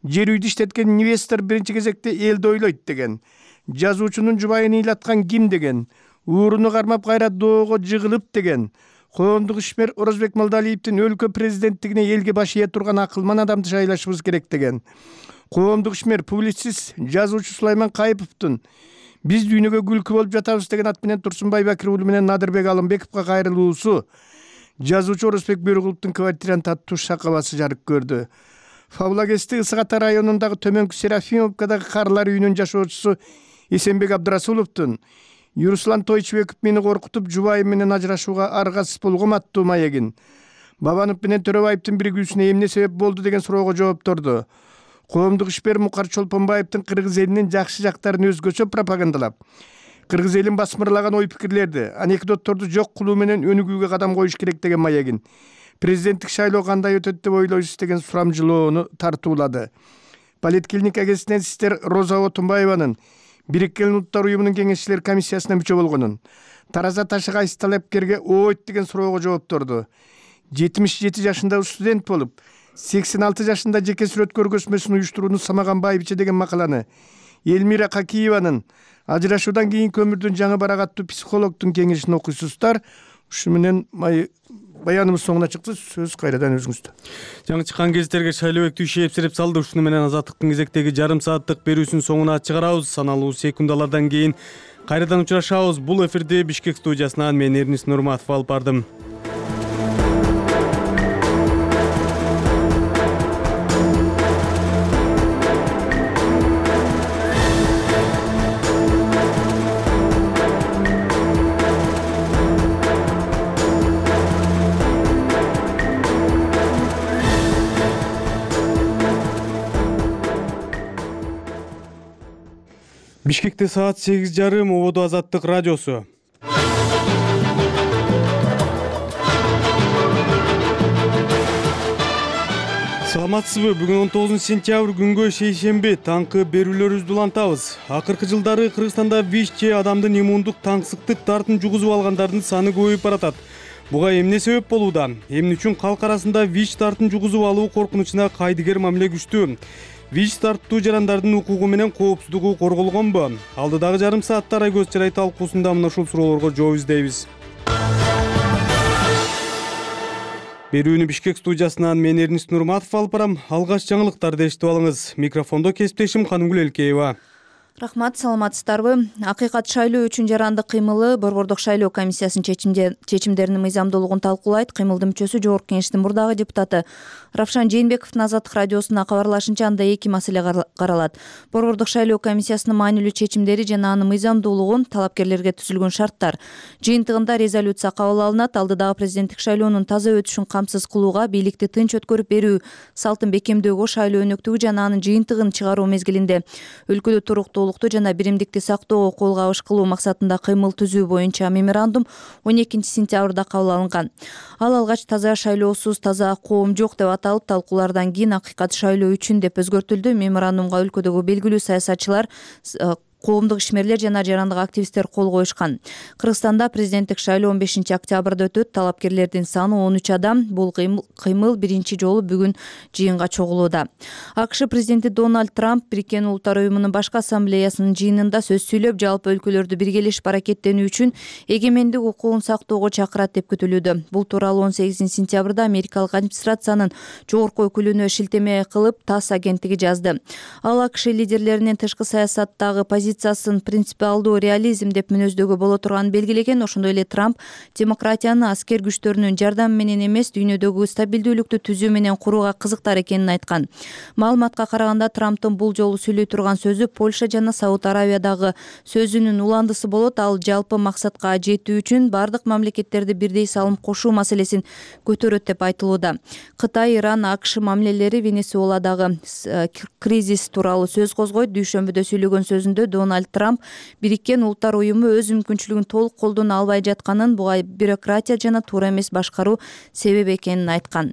Жер үйдү иштеткен инвестор биринчи кезекте элди ойлойт деген. Жазуучунун жубайын ыйлаткан ким деген. Ууруну кармап кайра доого жыгылып деген. Коомдук ишмер Орозбек Молдалиевдин өлкө президенттигине элге баш ие турган акылман адамды шайлашыбыз керек деген. Коомдук ишмер публицист жазуучу Сулайман Кайыповдун биз дүйнөгө күлкү болуп жатабыз деген ат менен Турсунбай Бакир уулу менен Надырбек Алымбековго кайрылуусу жазуучу Орозбек Бөрүгуловдун квартиранын аттуу шакабасы жарык көрдү. Фабула гезити Ысык Ата районундагы Төмөнкү Серафимовкадагы карлар үйүнүн жашоочусу Эсенбек Абдрасуловдун Юруслан Тойчубеков мени коркутуп жубайым менен ажырашууга аргасыз болгом аттуу маегин. Бабанов менен Төрөбаевдин биригүүсүнө эмне себеп болду деген суроого жоопторду. Коомдук ишмер Мукар Чолпонбаевдин кыргыз элинин жакшы жактарын өзгөчө пропагандалап, кыргыз элин басмырлаган ой пикирлерди, анекдотторду жок кылуу менен өнүгүүгө кадам коюш керек деген маегин. Президенттик шайлоо кандай өтөт деп ойлойсуз деген сурамжылоону тартуулады. Политклиника гезитинен сиздер Роза Отунбаеванын Бириккен Улуттар уюмунун кеңешчилер комиссиясына мүчө болгонун, тараза ташы кайсы талапкерге ойт деген суроого жоопторду. 77 жашындагы студент болуп, 86 жашында жеке сүрөт көргөзмөсүн уюштурууну самаган байбиче деген макаланы Элмира Какиеванын ажырашуудан кийинки өмүрдүн жаңы барагаттуу психологдун кеңешин окуйсуздар. Ушу менен баяныбыз соңуна чыкты. Сөз кайрадан өзүңүздө. Жаңы чыккан гезиттерге шайлоо активиши эпсирип салды. Ушуну менен Азаттыктын кезектеги жарым сааттык берүүсүнүн соңуна чыгарабыз. Саналуу секундалардан кийин кайрадан учурашабыз. Бул эфирди Бишкек студиясынан мен Эрнис Нурматов алып бардым. Бишкекте саат 8:30, Ободо Азаттык радиосу. Саламатсызбы? Бүгүн 19 сентябрь күнгө шейшемби таңкы берүүлөрүбүздү улантабыз. Акыркы жылдары Кыргызстанда ВИЧ же адамдын иммундук таңсыктык дартын жугузуп алгандардын саны көбөйүп баратат. Буга эмне себеп болууда? Эмне үчүн калк арасында ВИЧ дартын жугузуп алуу коркунучуна кайдыгер мамиле күчтүү? ВИЧ тартуу жарандардын укугу менен коопсуздугу корголгонбу? Алдыдагы жарым саатта Райкөз Жарай талкуусунда мына ушул суроолорго жооп издейбиз. Берүүнү Бишкек студиясынан мен Эрнис Нурматов алып барам. Алгач жаңылыктарды эшитип алыңыз. Микрофондо кесиптешим Канымгүл Элкеева. Рахмат, саламатсыздарбы? Акыйкат шайлоо үчүн жарандык кыймылы Борбордук шайлоо комиссиясынын чечимдеринин мыйзамдуулугун талкуулайт. Кыймылдын мүчөсү Жогорку Кеңештин мурдагы депутаты Равшан Жээнбековдун Азаттык радиосуна кабарлашынча, анда эки маселе каралат. Борбордук шайлоо комиссиясынын маанилүү чечимдери жана анын мыйзамдуулугун, талапкерлерге түзүлгөн шарттар. Жыйынтыгында резолюция кабыл алынат. Алдыдагы президенттик шайлоонун таза өтүшүн камсыз кылууга, бийликти тынч өткөрүп берүү салтын бекемдөөгө, шайлоо өнөктүгү жана анын жыйынтыгын чыгаруу мезгилинде өлкөдө туруктуулукту жана биримдикти сактоого кол кабыш кылуу максатында кыймыл түзүү боюнча меморандум 12 сентябрда кабыл алынган. Ал алгач таза шайлоосуз таза коом жок деп аталып, талкуулардан кийин акыйкат шайлоо үчүн деп өзгөртүлдү. Меморандумга өлкөдөгү белгилүү саясатчылар, коомдук ишмерлер жана жарандык активисттер кол коюшкан. Кыргызстанда президенттик шайлоо 15 октябрда өтөт. Талапкерлердин саны 13 адам. Бул кыймыл биринчи жолу бүгүн жыйынга чогулууда. АКШ президенти Дональд Трамп Бириккен Улуттар уюмунун башкы ассамблеясынын жыйынында сөз сүйлөп, жалпы өлкөлөрдү биргелешип аракеттенүү үчүн эгемендик укугун сактоого чакырат деп күтүлүүдө. Бул тууралуу 18 сентябрда америкалык администрациянын жогорку өкүлүнө шилтеме кылып ТАСС агенттиги жазды. Ал АКШ лидерлеринин тышкы саясаттагы позициясын принципиалдуу реализм деп мүнөздөгө боло турганын белгилеген. Ошондой эле Трамп демократияны аскер күчтөрүнүн жардамы менен эмес, дүйнөдөгү стабилдүүлүктү түзүү менен курууга кызыктар экенин айткан. Маалыматка караганда, Трамптын бул жолу сүйлөй турган сөзү Польша жана Сауд Аравиядагы сөзүнүн уландысы болот. Ал жалпы максатка жетүү үчүн бардык мамлекеттерди бирдей салым кошуу маселесин көтөрөт деп айтылууда. Кытай, Иран, АКШ мамилелери, Венесуэладагы кризис тууралуу сөз козгойт. Дүйшөмбүдө сүйлөгөн сөзүндө Дональд Трамп Бириккен Улуттар уюму өз мүмкүнчүлүгүн толук колдоно албай жатканын, буга бюрократия жана туура эмес башкаруу себеп экенин айткан.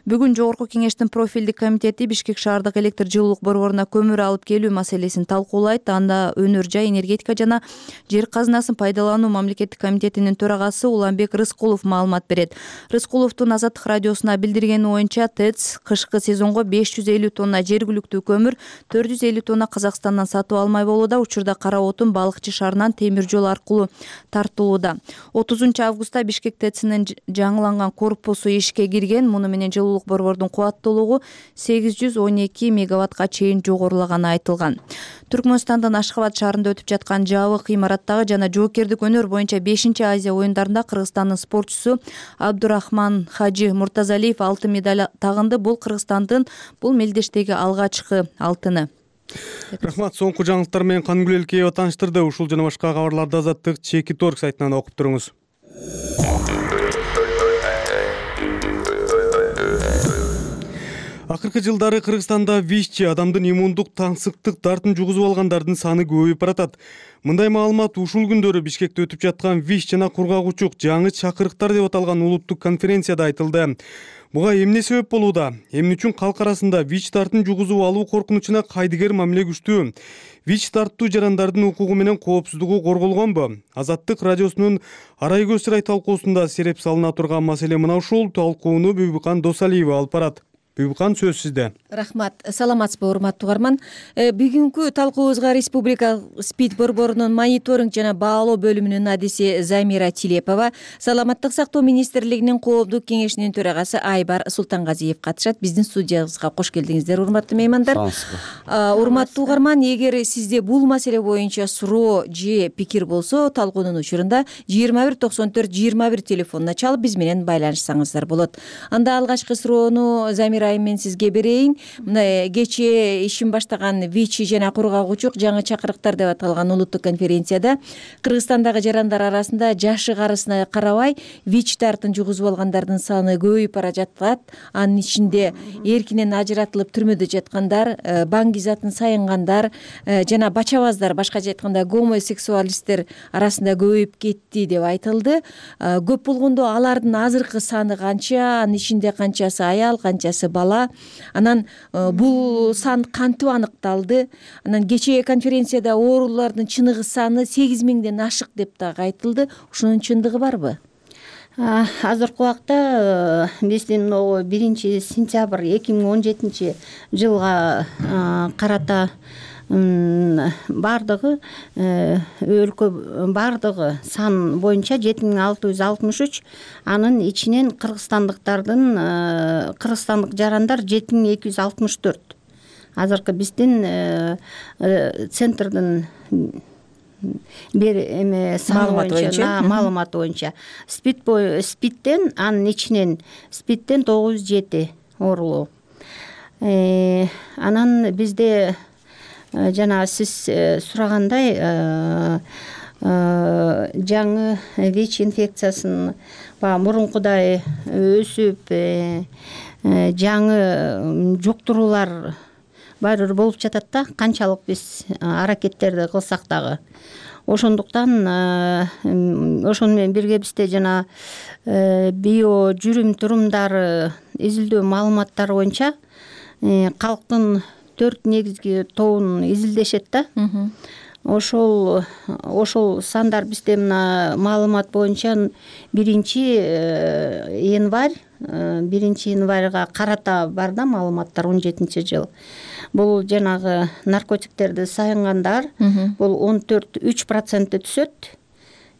Бүгүн Жогорку Кеңештин профилдик комитети Бишкек шаардык электр жылуулук борборуна көмүр алып келүү маселесин талкуулайт. Анда өнөр жай, энергетика жана жер казынасын пайдалануу мамлекеттик комитетинин төрагасы Уланбек Рыскулов маалымат берет. Рыскуловдун Азаттык радиосуна билдиргени боюнча, ТЭЦ кышкы сезонго 550 тонна жергиликтүү көмүр, 450 тонна Казакстандан сатып алмай болууда. Учурда кара отун Балыкчы шаарынан темир жол аркылуу тартылууда. 30 августта Бишкек ТЭЦинин жаңыланган корпусу ишке кирген. Муну менен жылуулук борбордун кубаттуулугу 812 мегаваттка чейин жогорулаганы айтылган. Түркмөнстандын Ашхабад шаарында өтүп жаткан жабык имараттагы жана жоокердик өнөр боюнча 5-Азия оюндарында Кыргызстандын спортчусу Абдурахман Хажи Муртазалиев алтын медаль тагынды. Бул Кыргызстандын бул мелдештеги алгачкы алтыны. Рахмат, соңку жаңылыктар менен Канымгүл Элкеева тааныштырды. Ушул жана башка кабарларды Азаттык Чеки.org сайтынан окуп туруңуз. Акыркы жылдары Кыргызстанда ВИЧ адамдын иммундук таңсыктык дартын жугузуп алгандардын саны көбөйүп баратат. Мындай маалымат ушул күндөрү Бишкекте өтүп жаткан ВИЧ жана кургак учук жаңы чакырыктар деп аталган улуттук конференцияда айтылды. Буга эмне себеп болууда? Эмне үчүн калк арасында ВИЧ тартын жугузуп алуу коркунучуна кайдыгер мамиле күчтүү? ВИЧ тартуу жарандардын укугу менен коопсуздугу корголгонбу? Азаттык радиосунун Арай көз-сырай талкуусунда сереп салына турган маселе мына ушул. Талкууну Бүбүкан Досалиева алып барат. Бүбүкан, сөз сизде. Рахмат. Саламатсызбы, урматтуу угарман. Бүгүнкү талкуубузга Республикалык СПИД борборунун мониторинг жана баалоо бөлүмүнүн адиси Замира Тилепова, Саламаттык сактоо министрлигинин коомдук кеңешинин төрагасы Айбар Султангазиев катышат. Биздин студиябызга кош келдиңиздер, урматтуу меймандар. Урматтуу угарман, эгер сизде бул маселе боюнча суроо же пикир болсо, талкуунун учурунда 2194-21 телефонуна чалып биз менен байланышсаңыздар болот. Анда алгачкы суроону Замира мен сизге берейин. Мына кечээ ишин баштаган ВИЧ жана кургагучук жаңы чакырыктар деп аталган улуттук конференцияда Кыргызстандагы жарандар арасында жашы карысына карабай ВИЧ тартын жугузуп алгандардын саны көбөйүп бара жатат. Анын ичинде эркинен ажыратылып түрмөдө жаткандар, баңгизатын сайынгандар жана бачабаздар, башкача айтканда гомосексуалисттер арасында көбөйүп кетти деп айтылды. Көп болгондо алардын азыркы саны канча, анын ичинде канчасы аял, канчасы бала, анан бул сан кантип аныкталды? Анан кечээ конференцияда оорулардын чыныгы саны 8000ден ашык деп дагы айтылды. Ушунун чындыгы барбы? Азыркы убакта биздин 1-сентябрь 2017 жылга карата бардыгы өлкө бардыгы сан боюнча 7663, анын ичинен кыргызстандык жарандар 7264. Азыркы биздин центрдин маалыматы боюнча СПИДтен, анын ичинен СПИДтен 907 оорулуу. Анан бизде жана сиз сурагандай жаңы ВИЧ инфекциясын мурункудай өсүп жаңы жуктуруулар баары болуп жатат да, канчалык биз аракеттерди кылсак дагы. Ошондуктан ошону менен бирге бизде жана био жүрүм турумдары изилдөө маалыматтары боюнча калктын 4 негизги тобун изилдешет да. Ошол сандар бизде мына маалымат боюнча 1-январга карата бар да маалыматтар, 17-жыл. Бул жанагы наркотиктерди сайынгандар бул 14-3% түшөт.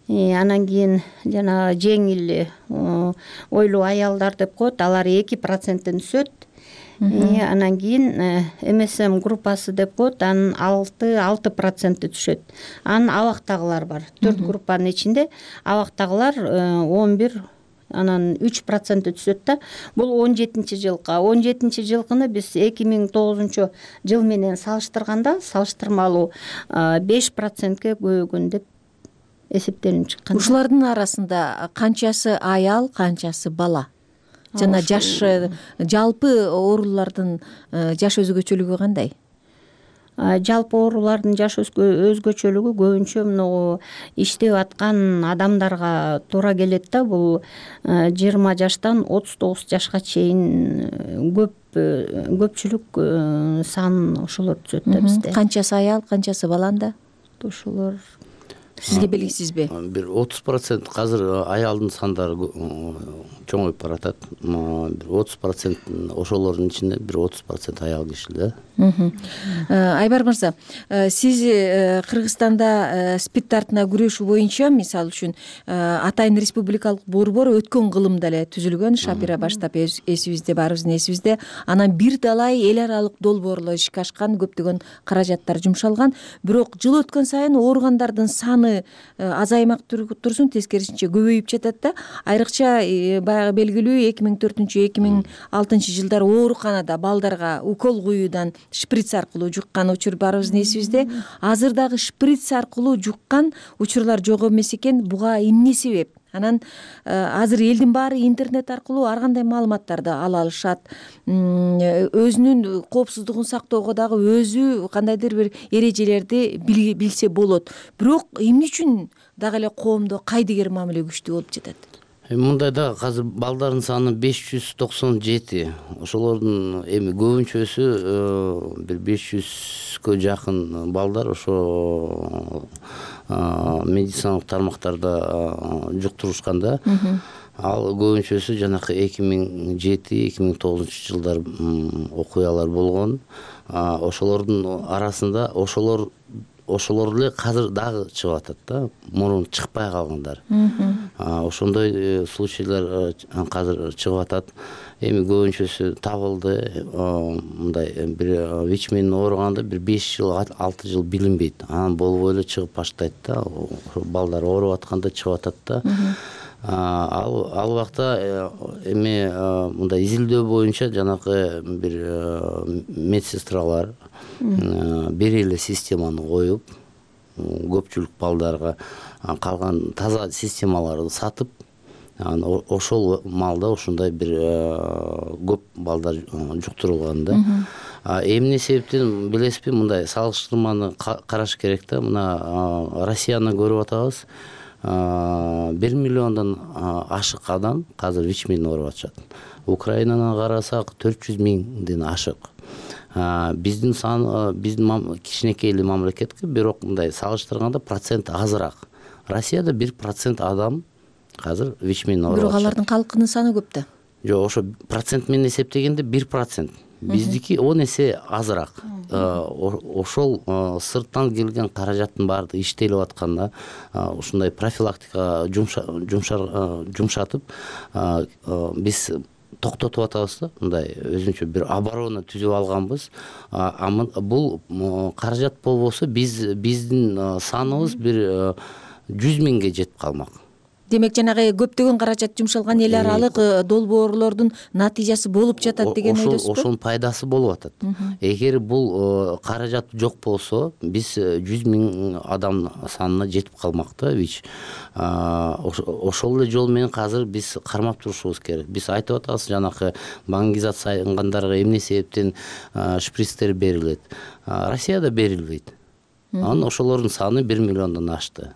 Анан кийин жана жеңил ойлуу аялдар деп коет, алар 2%-тен түшөт. Анан кийин МСМ группасы деп коет, анын 6% түшөт. Анан абактагылар бар. 4 группанын ичинде абактагылар 11, анан 3% түшөт да. Бул 17-жылга. 17-жылкыны биз 2009 жыл менен салыштырганда салыштырмалуу 5%ке көбөйгөн деп эсептелинип чыккан. Ушулардын арасында канчасы аял, канчасы бала? Жана жаш, жалпы оорулардын жаш өзгөчөлүгү кандай? Жалпы оорулардын жаш өзгөчөлүгү көбүнчө мына иштеп аткан адамдарга туура келет да. Бул 20 жаштан 39 жашка чейин көпчүлүк сан ошолор түшөт да бизде. Канчасы аял, канчасы баланда? Ошолор сизге белгисизби? Бир 30% азыр аялдын сандары чоңоюп баратат. Бир 30% ошолордун ичинде бир 30% аял кишилер. Айбар мырза, сиз Кыргызстанда СПИД тартына күрөшүү боюнча, мисалы үчүн, атайын республикалык борбор өткөн кылымда эле түзүлгөн, Шапира баштап эсибизде, баарыбыздын эсибизде. Анан бир талай эл аралык долбоорлор ишке ашкан, көптөгөн каражаттар жумшалган. Бирок жыл өткөн сайын ооругандардын саны азаймак турсун, тескерисинче көбөйүп жатат да. Айрыкча баягы белгилүү 2004-2006 жылдары ооруканада балдарга укол куюудан шприц аркылуу жуккан учур баарыбыздын эсибизде. Азыр дагы шприц аркылуу жуккан учурлар жок эмес экен. Буга эмне себеп? Анан азыр элдин баары интернет аркылуу ар кандай маалыматтарды ала алышат. Өзүнүн коопсуздугун сактоого дагы өзү кандайдыр бир эрежелерди билсе болот. Бирок эмне үчүн дагы эле коомдо кайдыгер мамиле күчтүү болуп жатат? Мындайда азыр балдардын саны 597. Ошолордун эми көбүнчөсү бир 500гө жакын балдар ошо медициналык тармактарда жуктурушканда. Ал көбүнчөсү жанакы 2007-2009 жылдар окуялар болгон. Ошолордун арасында ошолор эле азыр дагы чыгып атат да, мурун чыкпай калгандар. Ошондой случайлар азыр чыгып атат. Эми көбүнчөсү табылды. Мындай бир ВИЧ менен ооруганда бир 5 жыл, 6 жыл билинбейт. Анан болбой эле чыгып баштайт да. Балдар ооруп атканда чыгып атат да. Ал убакта эми мындай изилдөө боюнча жанакы бир медсестралар бир эле системаны коюп, көпчүлүк балдарга калган таза системаларды сатып, ошол маалда ушундай бир көп балдар жуктурулган да. Эмне себептен билесизби, мындай салыштырманы караш керек да. Мына Россияны көрүп атабыз. 1 миллиондон ашык адам азыр ВИЧ менен ооруп атышат. Украинаны карасак 400 миңден ашык. Биздин сан, биздин кичинекей эле мамлекетке, бирок мындай салыштырганда процент азыраак. Россияда 1% адам азыр ВИЧ менен ооруп атышат. Бирок алардын калкынын саны көп да. Жок, ошо процент менен эсептегенде 1%. Биздики 10 эсе азыраак. Ошол сырттан келген каражаттын баардыгы иштелип атканда, ушундай профилактика жумшатып, биз токтотуп атабыз да. Мындай өзүнчө бир оборона түзүп алганбыз. Бул каражат болбосо биздин саныбыз бир 100 миңге жетип калмак. Демек жанагы көптөгөн каражат жумшалган эл аралык долбоорлордун натыйжасы болуп жатат деген ойдосузбу? Ошонун пайдасы болуп атат. Эгер бул каражат жок болсо, биз 100 миң адам санына жетип калмак да ВИЧ. Ошол эле жол менен азыр биз кармап турушубуз керек. Биз айтып атабыз, жанакы баңгизациянгандарга эмне себептен шприцтер берилет. Россияда берилбейт. Анан ошолордун саны 1 миллиондон ашты.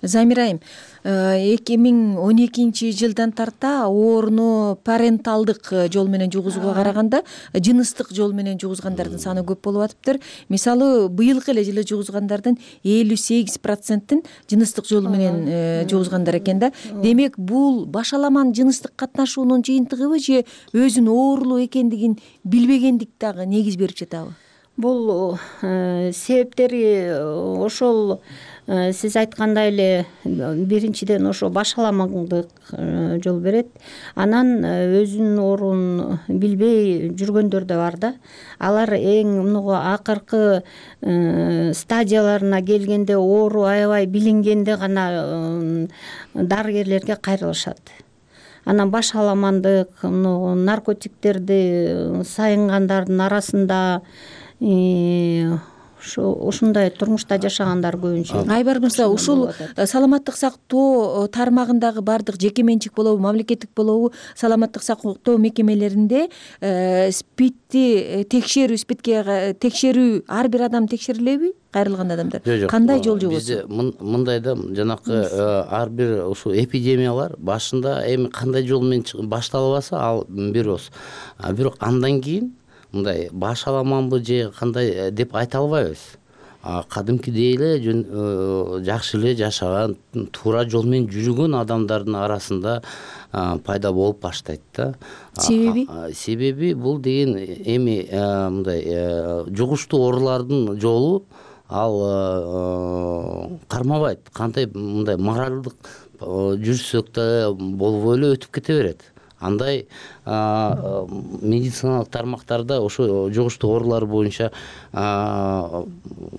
Замир айым, 2012 жылдан тарта ооруну паренталдык жол менен жугузууга караганда жыныстык жол менен жугузгандардын саны көп болуп атыптыр. Мисалы, быйылкы эле жылы жугузгандардын 58%-ин жыныстык жол менен жугузгандар экен да. Демек, бул башаламан жыныстык катнашуунун жыйынтыгыбы же өзүнүн оорулуу экендигин билбегендик дагы негиз берип жатабы? Бул себептери ошол сиз айткандай эле биринчиден ошо башаламандык жол берет. Анан өзүнүн оорун билбей жүргөндөр да бар да. Алар эң муну акыркы стадияларына келгенде, оору аябай билингенде гана дарыгерлерге кайрылышат. Анан башаламандык, наркотиктерди сайынгандардын арасында ушундай турмушта жашагандар көбүнчө. Айбар мырза, ушул саламаттык сактоо тармагындагы бардык жеке менчик болобу, мамлекеттик болобу, саламаттык сактоо мекемелеринде СПИДти текшерүү ар бир адам текшерилеби? Кайрылган адамдар кандай жол жобосу? Бизде мындайда жанакы ар бир ушул эпидемиялар башында эми кандай жол менен башталбаса ал бирос. Бирок андан кийин мындай башаламанбы же кандай деп айта албайбыз. Кадимкидей эле жакшы эле жашаган, туура жол менен жүргөн адамдардын арасында пайда болуп баштайт да. Себеби бул деген эми мындай жугуштуу оорулардын жолу ал кармабайт. Кандай мындай моралдык жүрсөк да болбой эле өтүп кете берет. Андай медициналык тармактарда ошо жугуштуу оорулар боюнча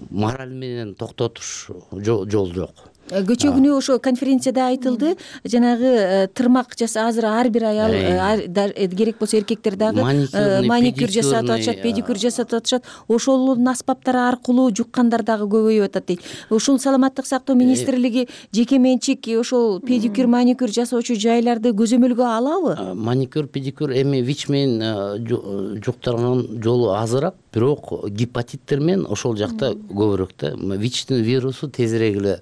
мораль менен токтотуш жол жок. Көчө күнү ошо конференцияда айтылды, жанагы тырмак азыр ар бир аял керек болсо эркектер дагы маникюр жасатып атышат, педикюр жасатып атышат. Ошолордун аспаптары аркылуу жуккандар дагы көбөйүп атат дейт. Ушул саламаттык сактоо министрлиги жеке менчик ошол педикюр, маникюр жасоочу жайларды көзөмөлгө алабы? Маникюр, педикюр эми ВИЧ менен жуктурган жолу азыраак, бирок гепатиттер менен ошол жакта көбүрөөк да. ВИЧтин вирусу тезирээк эле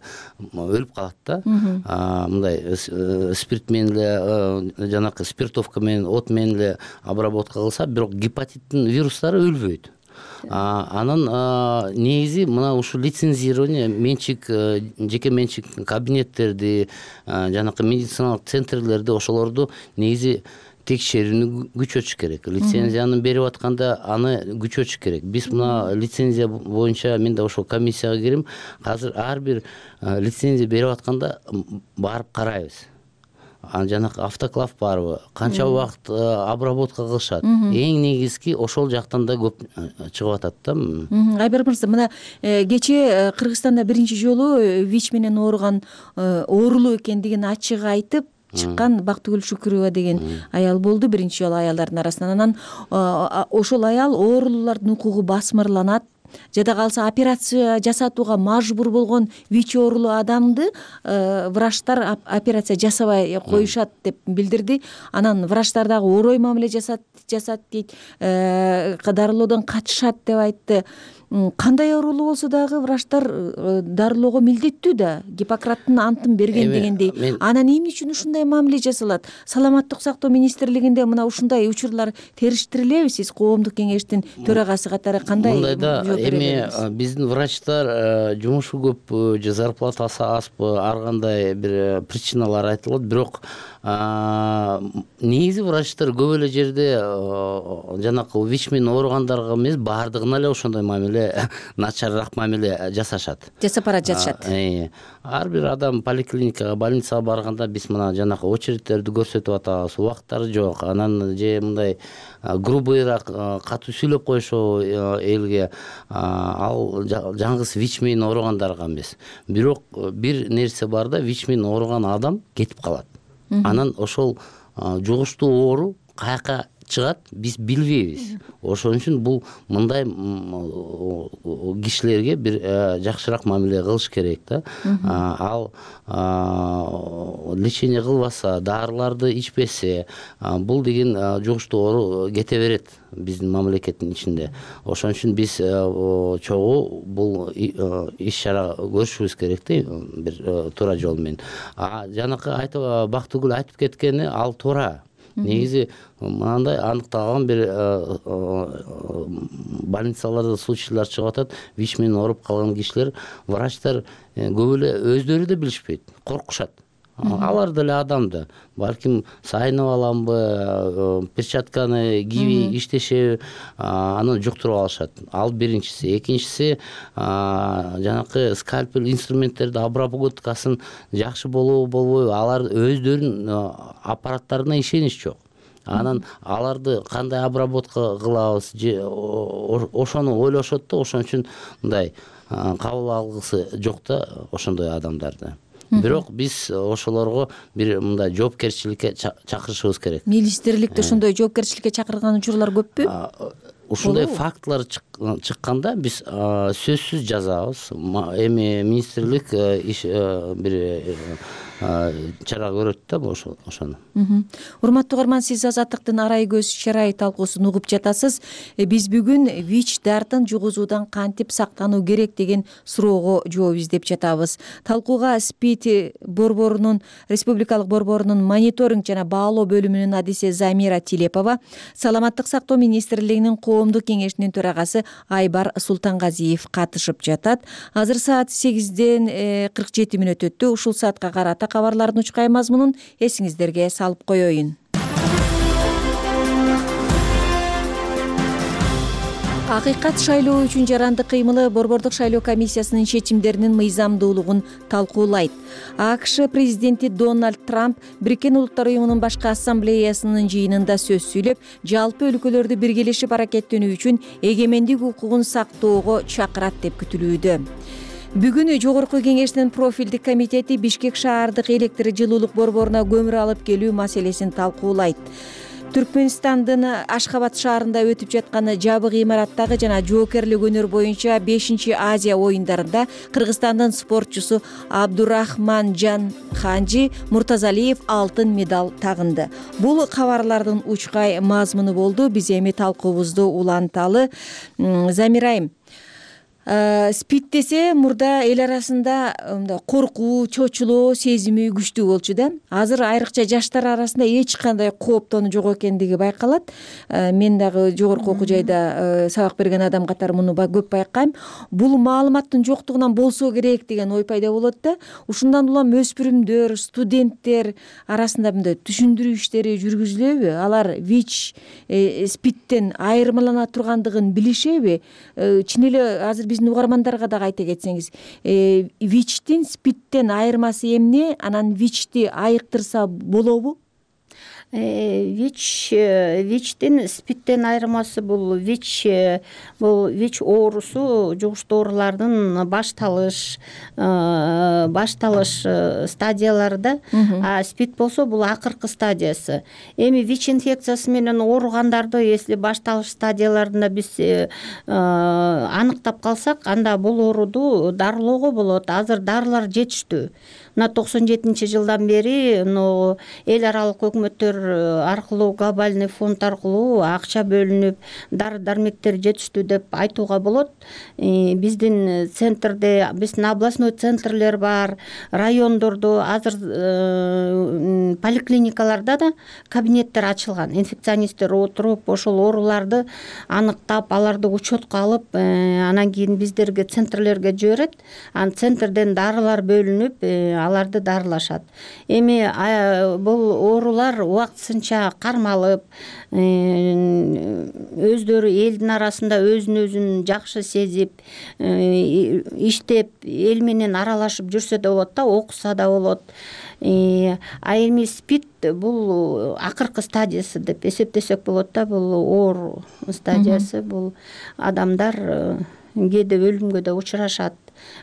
өлүп калат да. Мындай спирт менен эле жанакы спиртовка менен от менен эле обработка кылса, бирок гепатиттин вирустары өлбөйт. Анан негизи мына ушул лицензирование менчик, жеке менчик кабинеттерди, жанакы медициналык центрлерди, ошолорду негизи текшерүүнү күчөтүш керек. Лицензияны берип атканда аны күчөтүш керек. Биз мына лицензия боюнча мен да ошол комиссияга кирим. Азыр ар бир лицензия берип атканда барып карайбыз. Жанакы автоклав барбы, канча убакыт обработка кылышат. Эң негизги ошол жактан да көп чыгып атат да. Айбар мырза, мына кечээ Кыргызстанда биринчи жолу ВИЧ менен ооруган оорулуу экендигин ачык айтып чыккан Бактыгүл Шүкүрова деген аял болду, биринчи жолу аялдардын арасынан. Анан ошол аял оорулуулардын укугу басмырланат, жада калса операция жасатууга мажбур болгон ВИЧ оорулуу адамды врачтар операция жасабай коюшат деп билдирди. Анан врачтар дагы орой мамиле жасат дейт, дарылоодон качышат деп айтты. Кандай оорулуу болсо дагы врачтар дарылоого милдеттүү да, Гиппократтын антын берген дегендей. Анан эмне үчүн ушундай мамиле жасалат? Саламаттык сактоо министрлигинде мына ушундай учурлар териштирилеби? Сиз коомдук кеңештин төрагасы катары кандай жооп бересиз? Эми биздин врачтар жумушу көппү же зарплатасы азбы, ар кандай бир причиналар айтылат, бирок негизи врачтар көп эле жерде жанакы ВИЧ менен ооругандарга эмес, баардыгына эле ошондой мамиле, начарыраак мамиле жасашат. Жасап жатышат. Ар бир адам поликлиникага, больницага барганда биз мына жанакы очередтерди көрсөтүп атабыз, убакыттары жок. Анан же мындай грубыйраак катуу сүйлөп коюшобу элге, ал жаңгыз ВИЧ менен ооругандарга эмес. Бирок бир нерсе бар да, ВИЧ менен ооруган адам кетип калат. Анан ошол жугуштуу оору каяка чыгат, биз билбейбиз. Ошон үчүн бул мындай кишилерге бир жакшыраак мамиле кылыш керек да. Ал лечение кылбаса, дарыларды ичпесе, бул деген жугуштуу оору кете берет биздин мамлекеттин ичинде. Ошон үчүн биз чогуу бул иш чара көрүшүбүз керек да, бир туура жол менен. Жанакы Бактыгүл айтып кеткени ал туура. Негизи мындай аныкталган бир больницаларда случайлар чыгып атат. ВИЧ менен ооруп калган кишилер, врачтар көп эле өздөрү да билишпейт, коркушат. Алар деле адам да. Балким сайынып аламбы, перчатканы кийбей иштешеби, аны жуктуруп алышат. Ал биринчиси. Экинчиси, жанакы скальпель инструменттерди обработкасын жакшы болобу, болбойбу, алар өздөрүнүн аппараттарына ишенич жок. Анан аларды кандай обработка кылабыз, ошону ойлошот да, ошон үчүн мындай кабыл алгысы жок да ошондой адамдарды. Бирок биз ошолорго бир мындай жоопкерчиликке чакырышыбыз керек. Министрликте ошондой жоопкерчиликке чакырган учурлар көппү? Ушундай фактылар чыкканда биз сөзсүз жазабыз. Эми министрлик бир чара көрөт да ошону. Урматтуу угарман, сиз Азаттыктын арай көз чарай талкуусун угуп жатасыз. Биз бүгүн ВИЧ дартын жугузуудан кантип сактануу керек деген суроого жооп издеп жатабыз. Талкууга СПИД борборунун, республикалык борборунун мониторинг жана баалоо бөлүмүнүн адиси Замира Тилепова, Саламаттык сактоо министрлигинин коомдук кеңешинин төрагасы Айбар Султангазиев катышып жатат. Азыр саат 8:47 өттү. Ушул саатка карата кабарлардын учкай мазмунун эсиңиздерге салып коеюн. Акыйкат шайлоо үчүн жаранды кыймылы Борбордук шайлоо комиссиясынын чечимдеринин мыйзамдуулугун талкуулайт. АКШ президенти Дональд Трамп Бириккен Улуттар уюмунун башкы ассамблеясынын жыйынында сөз сүйлөп, жалпы өлкөлөрдү биргелешип аракеттенүү үчүн эгемендик укугун сактоого чакырат деп күтүлүүдө. Бүгүн Жогорку кеңештин профилдик комитети Бишкек шаардык электр жылуулук борборуна көмүр алып келүү маселесин талкуулайт. Түркмөнстандын Ашхабад шаарында өтүп жаткан жабык имараттагы жана жоокерлик өнөр боюнча 5-Азия оюндарында Кыргызстандын спортчусу Абдурахманжан Ханжи Муртазалиев алтын медаль тагынды. Бул кабарлардын учкай мазмуну болду. Биз эми талкуубузду уланталы. Замирайым, СПИД десе мурда эл арасында мындай коркуу, чочулоо сезими күчтүү болчу да. Азыр айрыкча жаштар арасында эч кандай кооптонуу жок экендиги байкалат. Мен дагы жогорку окуу жайда сабак берген адам катары муну көп байкайм. Бул маалыматтын жоктугунан болсо керек деген ой пайда болот да. Ушундан улам өспүрүмдөр, студенттер арасында мындай түшүндүрүү иштери жүргүзүлөбү? Алар ВИЧ, СПИДтен айырмалана тургандыгын билишеби? Чын эле азыр биздин угармандарга дагы айта кетсеңиз, ВИЧтин СПИДтен айырмасы эмне? Анан ВИЧти айыктырса болобу? ВИЧтин СПИДтен айырмасы бул ВИЧ оорусу жугуштуу оорулардын башталыш стадиялары да. А СПИД болсо бул акыркы стадиясы. Эми ВИЧ инфекциясы менен ооругандарды если башталыш стадияларында биз аныктап калсак, анда бул ооруду дарылоого болот. Азыр дарылар жетиштүү. Мына 97-жылдан бери эл аралык өкмөттөр аркылуу, глобальный фонд аркылуу акча бөлүнүп, дары-дармектер жетиштүү деп айтууга болот. Биздин центрде, биздин областной центрлер бар, райондордо, азыр поликлиникаларда да кабинеттер ачылган. Инфекционисттер отуруп, ошол ооруларды аныктап, аларды учетко алып, анан кийин биздерге центрлерге жиберет. Анан центрден дарылар бөлүнүп, аларды дарылашат. Эми бул оорулар убактысынча кармалып, өздөрү элдин арасында өзүн жакшы сезип, иштеп, эл менен аралашып жүрсө да болот да, окуса да болот. А эми СПИД бул акыркы стадиясы деп эсептесек болот да, бул оору стадиясы. Бул адамдар кээде өлүмгө да учурашат.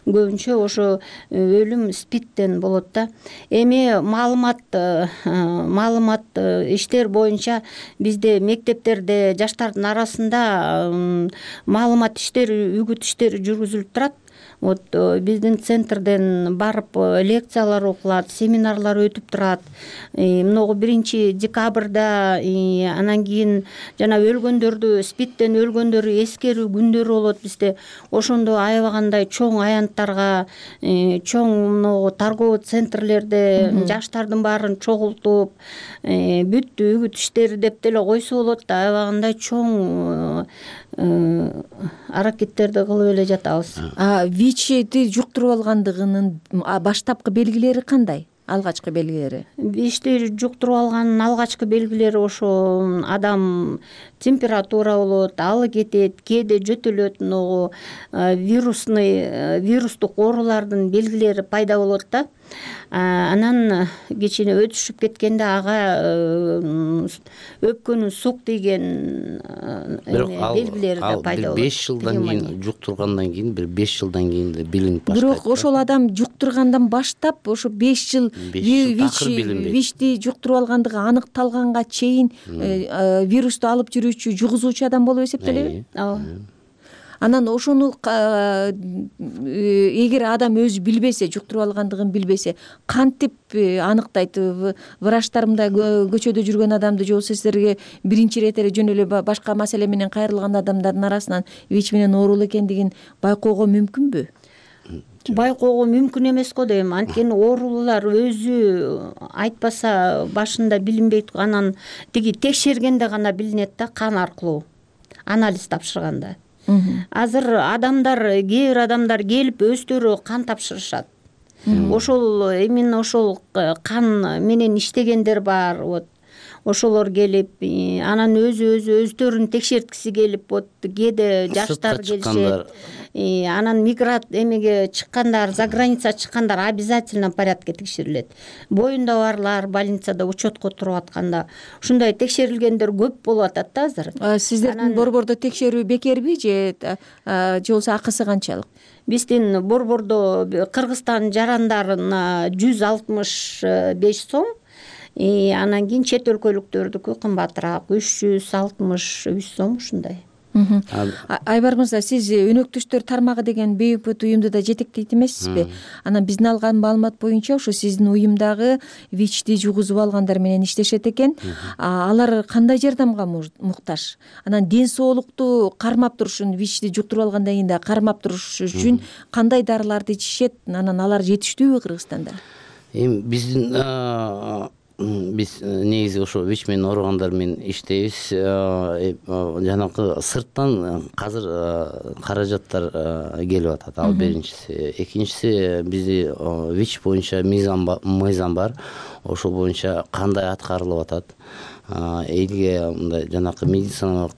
Көбүнчө ошо өлүм СПИДтен болот да. Эми маалымат иштер боюнча бизде мектептерде жаштардын арасында маалымат иштери, үгүт иштери жүргүзүлүп турат. Биздин центрден барып лекциялар окулат, семинарлар өтүп турат. Могу 1-декабрда, анан кийин жана өлгөндөрдү, СПИДтен өлгөндөрү эскерүү күндөрү болот бизде. Ошондо аябагандай чоң аянттарга, чоң торговый центрлерде жаштардын баарын чогултуп, бүт үгүт иштери деп деле койсо болот да, аябагандай чоң аракеттерди кылып эле жатабыз. ВИЧти жуктуруп алгандыгынын баштапкы белгилери кандай? Алгачкы белгилери? ВИЧти жуктуруп алганын алгачкы белгилери ошо адам температура болот, алы кетет, кээде жөтөлөт, вирустук оорулардын белгилери пайда болот да. Анан кичине өтүшүп кеткенде ага өпкөнүн сук тийген белгилери да пайда болот. 5 жылдан кийин жуктургандан кийин, 5 жылдан кийин билинип баштайт. Бирок ошол адам жуктургандан баштап ошо 5 жыл ВИЧти жуктуруп алгандыгы аныкталганга чейин вирусту алып жүрүүчү, жугузуучу адам болуп эсептелеби? Ооба. Анан ошону эгер адам өзү билбесе, жуктуруп алгандыгын билбесе, кантип аныктайт? Врачтар мындай көчөдө жүргөн адамды же болбосо сиздерге биринчи ирет эле жөн эле башка маселе менен кайрылган адамдардын арасынан ВИЧ менен оорулуу экендигин байкоого мүмкүнбү? Байкоого мүмкүн эмес го дейм. Анткени оорулуулар өзү айтпаса башында билинбейт. Анан тиги текшергенде гана билинет да, кан аркылуу, анализ тапшырганда. Азыр кээ бир адамдар келип өздөрү кан тапшырышат. Ошол именно ошол кан менен иштегендер бар. Ошолор келип, анан өздөрүн текшерткиси келип, кээде жаштар келишет. Анан мигрант эмеге чыккандар, за граница чыккандар обязательно порядке текшерилет. Боюнда барлар больницада учетко туруп атканда ушундай текшерилгендер көп болуп атат да азыр. Сиздердин борбордо текшерүү бекерби же болбосо акысы канчалык? Биздин борбордо Кыргызстан жарандарына 165 сом, анан кийин чет өлкөлүктөрдүкү кымбатыраак 363 сом ушундай. Айбар мырза, сиз өнөктөштөр тармагы деген бейөкмөт уюмду да жетектейт эмессизби? Анан биздин алган маалымат боюнча ошо сиздин уюмдагы ВИЧти жугузуп алгандар менен иштешет экен. Алар кандай жардамга муктаж? Анан ден соолукту кармап туруш үчүн, ВИЧти жуктуруп алгандан кийин да кармап туруш үчүн кандай дарыларды ичишет? Анан алар жетиштүүбү Кыргызстанда? Эми биз негизи ошо ВИЧ менен ооругандар менен иштейбиз. Жанакы сырттан азыр каражаттар келип атат. Ал биринчиси. Экинчиси бизде ВИЧ боюнча мыйзам бар. Ошол боюнча кандай аткарылып атат? Элге мындай жанакы медициналык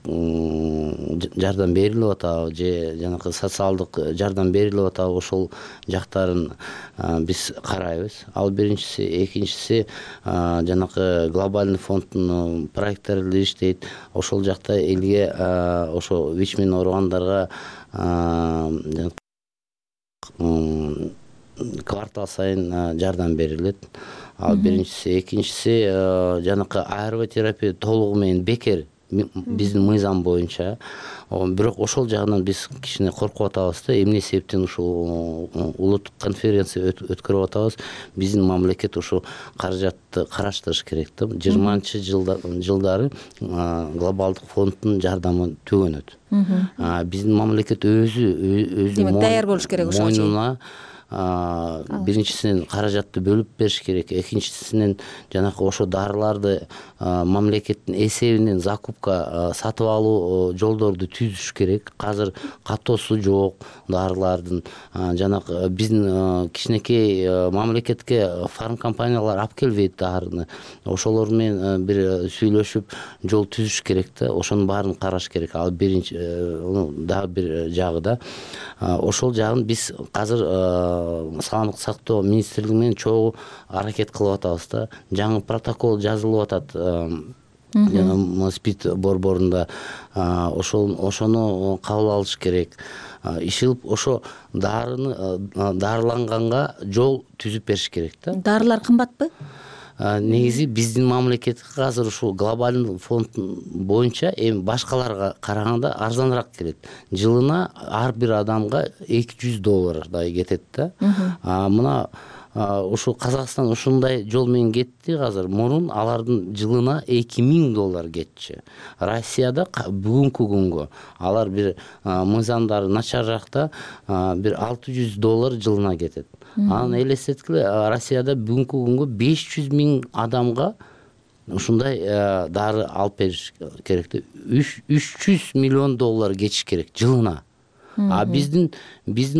жардам берилип атабы же жанакы социалдык жардам берилип атабы, ошол жактарын биз карайбыз. Ал биринчиси. Экинчиси жанакы глобальный фонддун проекттери иштейт. Ошол жакта элге ошо ВИЧ менен ооругандарга квартал сайын жардам берилет. Ал биринчиси. Экинчиси жанакы АРВ терапия толугу менен бекер биздин мыйзам боюнча. Бирок ошол жагынан биз кичине коркуп атабыз да. Эмне себептен ушул улуттук конференция өткөрүп атабыз? Биздин мамлекет ошо каражатты караштырыш керек да. 20-жылдары глобалдык фонддун жардамы төгөнөт. Биздин мамлекет өзү даяр болуш керек ошого. Мойнуна биринчисинен каражатты бөлүп бериш керек, экинчисинен жанакы ошо дарыларды мамлекеттин эсебинен закупка сатып алуу жолдорду түзүш керек. Азыр катоосу жок дарылардын. Жанакы биздин кичинекей мамлекетке фармкомпаниялар алып келбейт дарыны. Ошолор менен бир сүйлөшүп жол түзүш керек да. Ошонун баарын караш керек. Ал биринчи дагы бир жагы да. Ошол жагын биз азыр саламаттык сактоо министрлиги менен чогуу аракет кылып атабыз да. Жаңы протокол жазылып атат. СПИД борборунда ошону кабыл алыш керек. Ишилип ошо дарыланганга жол түзүп бериш керек да. Дарылар кымбатпы? Негизи биздин мамлекетке азыр ушул глобальный фонд боюнча эми башкаларга караганда арзаныраак келет. Жылына ар бир адамга $200 кетет да. Мына ушу Казакстан ушундай жол менен кетти азыр. Мурун алардын жылына $2000 кетчү. Россияда бүгүнкү күнгө алар бир мыйзамдары начарраакта бир $600 жылына кетет. Аны элестеткиле, Россияда бүгүнкү күнгө 500,000 адамга ушундай дары алып бериш керек. $300 миллион кетиш керек жылына. Биздин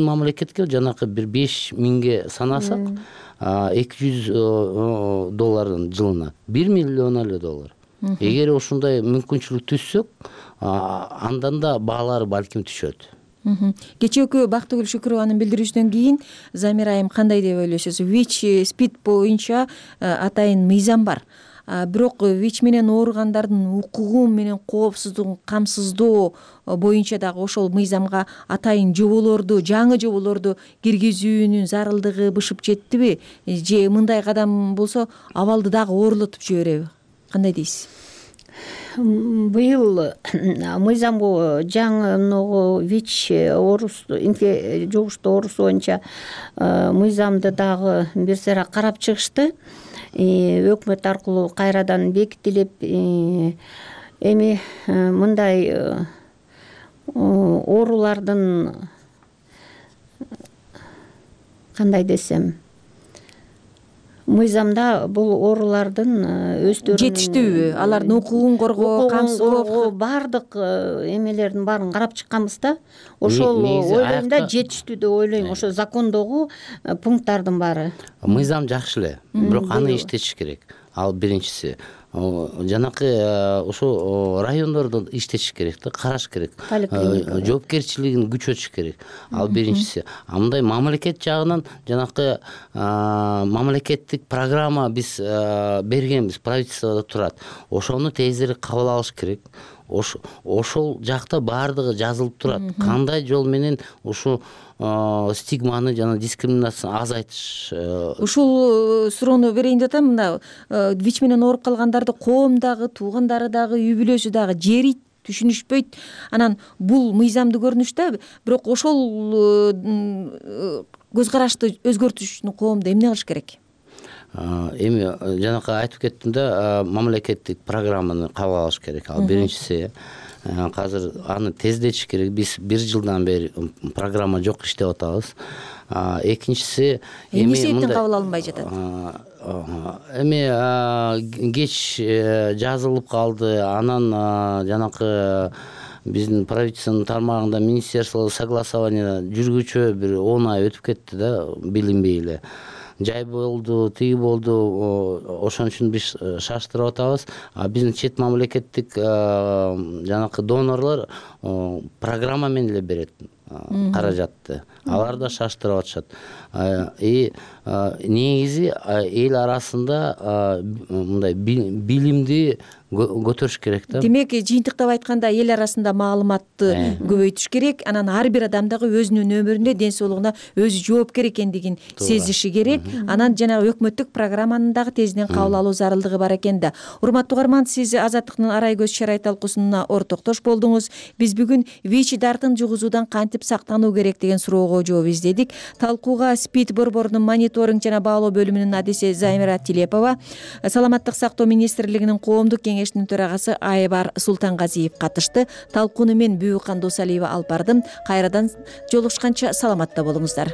мамлекетке жанакы бир 5,000ге санасак, $200 жылына, $1 миллион эле доллар. Эгер ушундай мүмкүнчүлүк түзсөк, андан да баалары балким түшөт. Кечээкү Бактыгүл Шүкүрованын билдирүүсүнөн кийин Замира айым кандай деп ойлойсуз? ВИЧ, СПИД боюнча атайын мыйзам бар. Бирок ВИЧ менен ооругандардын укугу менен коопсуздугун камсыздоо боюнча дагы ошол мыйзамга атайын жаңы жоболорду киргизүүнүн зарылдыгы бышып жеттиби? Же мындай кадам болсо абалды дагы оорлотуп жибереби? Кандай дейсиз? Быйыл мыйзамго жаңы многу ВИЧ жугуштуу оорусу боюнча мыйзамды дагы бир сыйра карап чыгышты. Өкмөт аркылуу кайрадан бекитилип, эми мындай оорулардын кандай десем, мыйзамда бул оорулардын өздөрүнүн жетиштүүбү, алардын укугун коргоо, камсыздоо, баардык эмелердин баарын карап чыкканбыз да. Ошол ойлойм да, жетиштүү деп ойлойм. Ошо закондогу пункттардын баары. Мыйзам жакшы эле, бирок аны иштетиш керек. Ал биринчиси. Жанакы ошо райондордо иштетиш керек да, караш керек. Жоопкерчилигин күчөтүш керек. Ал биринчиси. Мындай мамлекет жагынан жанакы мамлекеттик программа биз бергенбиз, правительстводо турат. Ошону тезирээк кабыл алыш керек. Ошол жакта баардыгы жазылып турат. Кандай жол менен ушу стигманы жана дискриминацияны азайтыш. Ушул суроону берейин деп атам. Мына ВИЧ менен ооруп калгандарды коомдагы, туугандары дагы, үй бүлөсү дагы жери түшүнүшпөйт. Анан бул мыйзамдуу көрүнүш да, бирок ошол көз карашты өзгөртүш үчүн коомдо эмне кылыш керек? Эми жанакы айтып кеттим да, мамлекеттик программаны кабыл алыш керек. Ал биринчиси. Азыр аны тездетиш керек. Биз 1 жылдан бери программа жок иштеп атабыз. Экинчиси эмне себептен кабыл алынбай жатат? Эми кеч жазылып калды. Анан жанакы биздин правительственный тармагында министерство согласования жүргүчө бир 10 ай өтүп кетти да, билинбей эле. Жай болду, тиги болду, ошон үчүн биз шаштырып атабыз. Биздин чет мамлекеттик жанакы донорлор программа менен эле берет каражатты. Алар да шаштырып атышат. Негизи эл арасында мындай билимди көтөрүш керек да. Демек, жыйынтыктап айтканда эл арасында маалыматты көбөйтүш керек. Анан ар бир адам дагы өзүнүн өмүрүндө, ден соолугуна өзү жоопкер экендигин сезиши керек. Анан жанагы өкмөттүк программаны дагы тезинен кабыл алуу зарылдыгы бар экен да. Урматтуу угарман, сиз Азаттыктын арай көз чарай талкуусуна ортоктош болдуңуз. Биз бүгүн ВИЧ дартын жугузуудан кантип сактануу керек деген суроого жооп издедик. Талкууга СПИД борборунун мониторинг жана баалоо бөлүмүнүн адиси Замира Тилепова, Саламаттык сактоо министрлигинин коомдук кеңешинин төрагасы Айбар Султангазиев катышты. Талкууну мен Бүкан Досалиева алып бардым. Кайрадан жолугушканча саламатта болуңуздар.